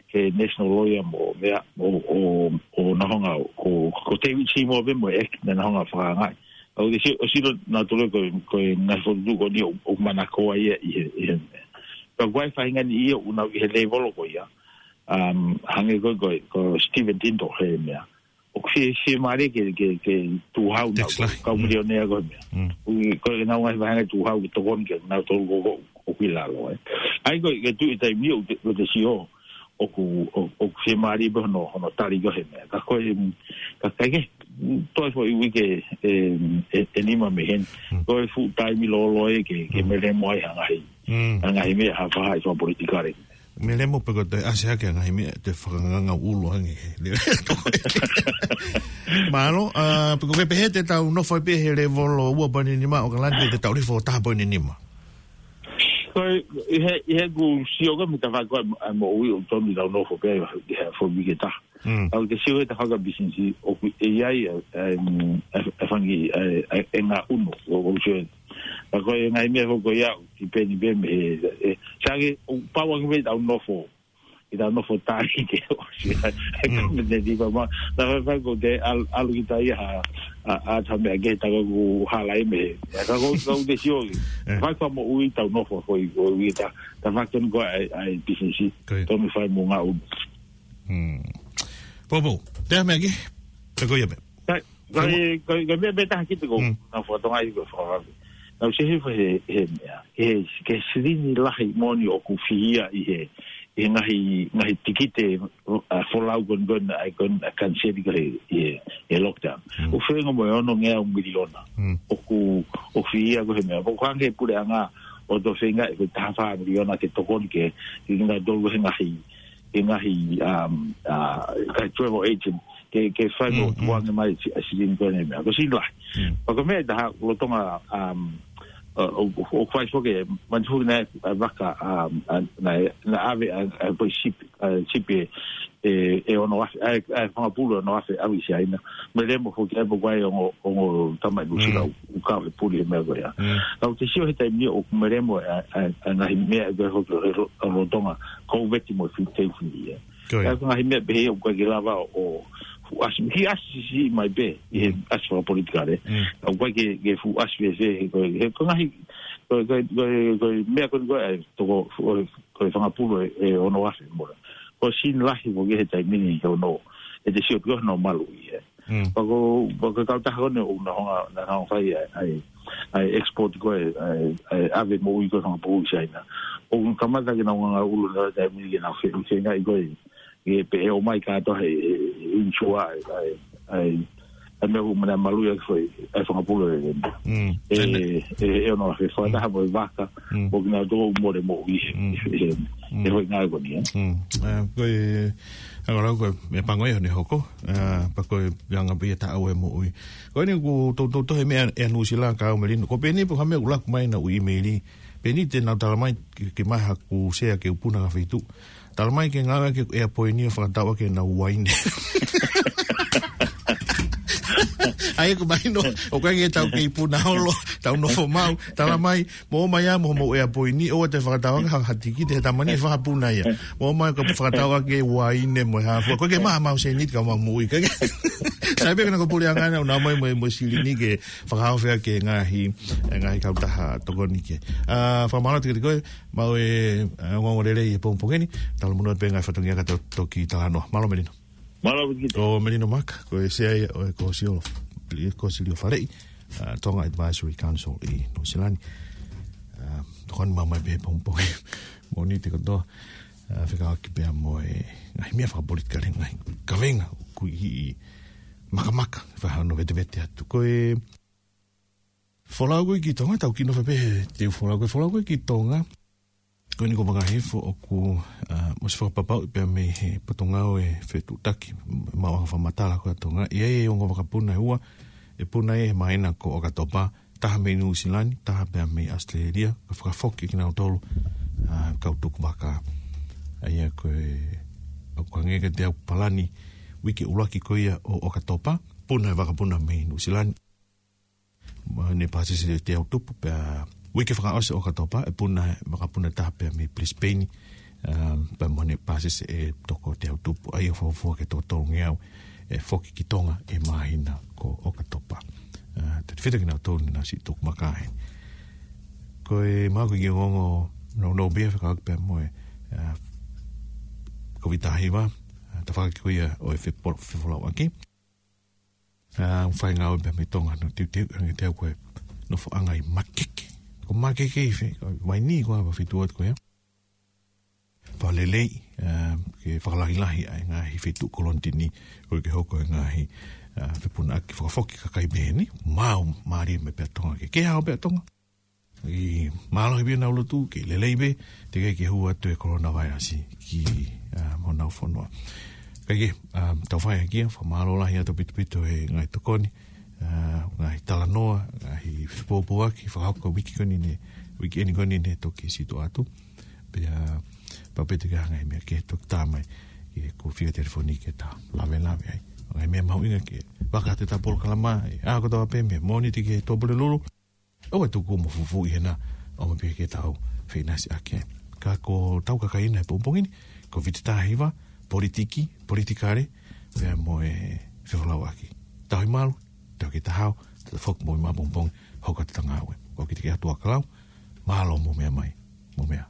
he national lawyer mo, meʻa, ʻo, ʻo, ʻo nau hanga, ko, ko David Seymour pē mo e ʻEiki, naʻa nau hanga fakaangaʻi. ʻOku te sio, ʻoku sio nautolu ko, ko e ngaahi fokotuʻutuʻu ko eni ʻoku, ʻoku manakoa ia ʻi he, ʻi he meʻa. Ka ʻoku ʻi ai e faʻahinga niʻihi ʻoku nau ʻi he lēvolo ko ia. Um, hangē ko, ko, ko Stephen Tindall he meʻa. ʻOku fie, fiemālie ke, ke, ke tukuhau nau, tax lahi. Kau milionea ko e meʻa. Mm. ʻOku, ko e nau ngaahi faʻahinga tukuhau ke tokoni ke nautolu ko, ko, ʻoku ʻi lalo, ē. ʻA ia ko e, ko e tuʻu he taimi ni ʻoku te, ʻoku te sio, ʻoku, ʻo, ʻoku fiemālie pē hono, hono tali ko e he meʻa. Ka ko e, ka, ka ke, toe foʻi uike ʻe, ʻe, ʻe nima mei heni. Mm. Ko e fuʻu taimi lōloa ia ke, ke melemo ai ha ngaahi, ha ngaahi meʻa ha faʻahi fakapolitikale. Melemo pē ko e toe ʻasi hake ha ngaahi meʻa te fakanganga ʻulu ange. Mālō, ʻa, pe ko e pehē te tau nofo ai pē he lēvolo ua poini nima ʻo ʻAokalani pe te tau ʻalu hifo taha poini nima. Ko e, ʻi he, ʻi heʻeku sio ko e mita fai ko e, ʻa, moʻui ʻoku tonu ke tau nofo pē, ʻi he foʻi uike ʻe taha. Mm. ʻOku te sio he tafaʻaki ʻa e pisinisi, ʻoku ʻi ai, ʻa, ʻa, ʻa, ʻa e fanga, ʻa, ʻa, ʻa e ngaahi ʻunu, ʻo, ʻo sio. Ka ko e ngaahi meʻa foki ko ia, ʻoku tipeni pē mei he, ʻe, sai ange, ʻoku pau ange pē ke tau nofo. Ke tau nofo tali ke ʻosi, ʻa, ʻa e Mm. Kau Mete ni pea ma, naʻa faifai ko te ʻal-, ʻalu kita ia ha, ʻa, ʻa, ta meʻa ke ta ko ku hala e mei he. Ka ko, ka ʻoku te sio, ʻe, fai fakamoʻui tau nofo foʻi, foʻi uike ʻe taha, tafaʻaki ko e, ʻa e, ʻa e pisinisi, Ko ia. Tau mei fai mo e ngaahi ʻunu. Mm. Poupou, te a meʻa ki? Te ko ia pē. Kai, kai, Poupou. Kai, kai meʻa pē taha ki te ko, Mm. naʻa fakatonga i ko fakavave. Naʻa ku sio hifo he, he meʻa. He, he silini lahi moʻoni ʻoku fihia ʻi he, ʻi he ngaahi, ngaahi tikite, ʻa, folau ko eni ko eni, ʻa, ko eni, ʻa, kaniseli ko ē he, he, he lockdown. Mm. ʻOku feinga mo e ono ngeau miliona. Mm. ʻOku, ʻoku fihia ko e he meʻa. ʻOku hanga he puleʻanga ʻo toe feinga ʻe ko e taha fā miliona ke tokoni ke, ke kinautolu he ngaahi, he ngaahi, um, ʻa, kakai travel agent, ke, ke fai mo Mm, mm. tuku ange mai si-, ʻa e silini ko eni meʻa. Ko e silini lahi. Mm. Pea ko e meʻa ʻe taha, lolotonga, um, ʻa, ʻo, ʻo, ʻo fai foki, manatu foki naʻe, ʻa, vaka, um, ʻa, naʻe, naʻe ʻave, ʻa, ʻa, ko e sipi, ʻa, sipi ʻe, ʻe, ʻe ono afe, ʻa, ʻa, fanga pulu ʻe ono afe ʻave ʻi Siaina. Melemo foki ai pe ko e ongo, ongo tamaʻi Nuʻusila Mm. ʻoku kau he puli he meʻa ko ia. Mm. Ka ʻoku te sio he taimi ni ʻoku melemo ʻa, ʻa, ʻa e ngaahi meʻa ʻe ko e hoki he lo-, ʻa lolotonga, Kōviti mo e fifteen fifty, ē. Ko ia. ʻA e ngaahi meʻa pehē ʻoku ʻikai ke lava ʻo fuʻu ʻasi, ki ʻasi siʻi mai pē, ʻi he Mm. ʻasi fakapolitikale. Mm. ʻOku ʻikai ke, ke fuʻu ʻasi fēfē, he ko e, he ko e ngaahi, ko e, ko e, ko e, ko e meʻa ko eni ko e, ʻa e toko, ko e, ko e fanga pulu ʻe, ʻe ono afe mo e. Ko e silini lahi mo ke he taimi ni he ono, ʻe te sio pē ko hono maluʻi, ē. Mm. Pea ko, pea ko e kautaha ko eni ʻoku nau hanga, nau hanga fai ʻa e, ʻa e, ʻa e export ko e, ʻa e, ʻa e ʻave moʻui ko e fanga pulu ʻi Siaina. ʻOku kamata ke nau nganga ʻulu he taimi ni ke nau fe-, feingaʻi ko e, ke pehē ʻomai kātoa he, he, he insure ʻa e, ʻa e, ʻa e, ʻa e meʻa ʻoku mena maluʻi ʻaki foʻi, ʻa e fanga pulu ʻe, Mm. ʻe, ʻe, ʻe ono afe fakataha mo e vaka, Mm. mo kinautolu ʻoku mole moʻui he, Mm. he, he, Mm. he foʻi ngāue ko eni, ē. Mm. ʻA, ko e, ʻa, ko e, ko e, meʻa pango ia ʻoku ne hoko, ʻa, pea ko e, anga pē ia taʻau e moʻui. Ko eni ʻoku toutou tohi meʻa ʻe Nuʻusila ka au melino. Ko Peni pe ko ha meʻa ʻoku laku mai naʻa ku ʻīmeili. Peni te nau tala mai ke, ke maha ku sea ke u puna ka feitu. Tala mai ke ngāue ke ʻea poini ʻo fakatau ʻaki ʻenau uaine. ʻA ia ʻoku mahino, ʻoku ʻikai ke tau kei puna holo, tau nofo maʻu, tala mai, mou ō mai ā mo hoʻomou ʻea poini, ʻoua te fakatau ʻaki ha, ha tikite he tamani ʻe fakapuna ia. Mou ō mai ka fakatau ʻaki e uaine mo e hā fua. ʻOku ʻikai ke maʻu ha mau sēniti ka mau moʻui. ʻIkai ke Sai pē kena ko e puleʻanga ʻena, ʻoku nau ō mai mo e, mo e silini ke fakahaofi ʻaki e ngaahi, e ngaahi kautaha tokoni ke. ʻA, fakamālō atu kiate koe, maʻu e, ʻa, ongoongo lelei he pongipongi ni, talamonū pē ngaahi fatongia ka tau toki talanoa. Mālō Melino. Mālō Viki. Ko Melino Maka, ko e sea ia ʻo e Kōsilio, Kōsilio Faleʻi, ʻa, Tonga Advisory Council ʻi Nuʻusila ni. ʻA, tokoni maʻu mai pē he pongipongi. Mōnite kotoa, ʻa, fekauʻaki pea mo e ngaahi meʻa fakapolitikale, ngaahi kavenga ʻoku ʻi, ʻi makamaka, fai hano vetevete atu. Ko e folau ko ē ki Tonga, tau kiʻi nofo pē he teu folau, ko e folau ko ē ki Tonga, ko eni ko Vakaifo ʻoku, ʻa, ʻosi fakapapauʻi pea mei he Potungāue Fetuʻutaki Maʻuʻanga Fakamatala ko ē ʻa Tonga, ʻi ai e ongo vakapuna ʻe ua, ʻe puna he māhina ko ʻOkatopa, taha mei Nuʻusila ni, taha pea mei ʻAositelēlia, ka fakafoki kinautolu, ʻa, kau tuku vaka. ʻA ia ko e, ʻoku hangē kiate au palani, uike ʻuluaki ko ia ʻo ʻOkatopa, puna e vakapuna mei Nuʻusila ni. Mo ne pāsese ʻe Teautupu, pea uike fakaʻosi ʻo ʻOkatopa, ʻe puna e vakapuna taha pea mei Brisbane, ʻa, pea mo ne pāsese ʻe Toko Teautupu, ʻa ia ʻoku fuofua ke toko tolungeau ʻe foki ki Tonga he māhina ko ʻOkatopa. ʻA, tautefito kinautolu naʻa nau siʻi tuku vaka ai. Ko e maʻu ko e kiʻi ongoongo nounou pē ia fekauʻaki pea mo e, ʻa, Kōviti taha hiva, ʻa, tafaʻaki ko ia ʻo e fepo-, fefolauʻaki. ʻA, fai ngāue pē mei Tonga, no teuteu, hangē te au ko e nofoʻanga ʻi Makeke. Ko Makeke ʻi fē, ko Vainī ko ā, feituʻu atu ko ia. Fakalelei, ʻa, ke fakalahilahi ʻa e ngaahi feituʻu kolonitini, ʻoku ke hoko e ngaahi, ʻa, fepunaʻaki fakafoki kakai pehē ni, maʻu mālie mai pē ʻa Tonga ke, ke hao pē ʻa Tonga. ʻI mālohi pē ʻenau lotu, ke lelei pē, teʻeki ke hū atu e coronavirus ki, ʻa, honau fonua. Kae kehe, ʻa, tau fai hake ia, fakamālō lahi atu ʻaupito ʻaupito he ngaahi tokoni, ʻa, ngaahi talanoa, ngaahi fepōpōaki, fakahoko uike ko eni ne, uike eni ko eni ne toki situʻa atu. Pea, pau pē te ke hanga he meʻa ke toki tā mai, ke ko e fika telefoni ke ta lavelave ai. Ngaahi meʻa mahuʻinga ke, vaka atu ʻeta polokalama, ʻe, ʻa, ko tau pē meʻa, Mōnite ki he Tuʻapulelulu, ʻoua ʻe tuku mo fufuuʻi hena, ʻo mo pehē ke tau feʻinasiʻaki. Ka ko ʻetau kakai ʻena he pongipongi ni, Kōviti taha hiva, politiki, politikale, pea mo e fefolauʻaki. Tau ʻi malu, tau ke ta hao, tau foki mo e maʻa pongipongi, hoko atu ʻeta ngāue. ʻOku ʻikai ke ʻi ai ha tuʻa kalau, mālō mo meʻa mai, mo meʻa.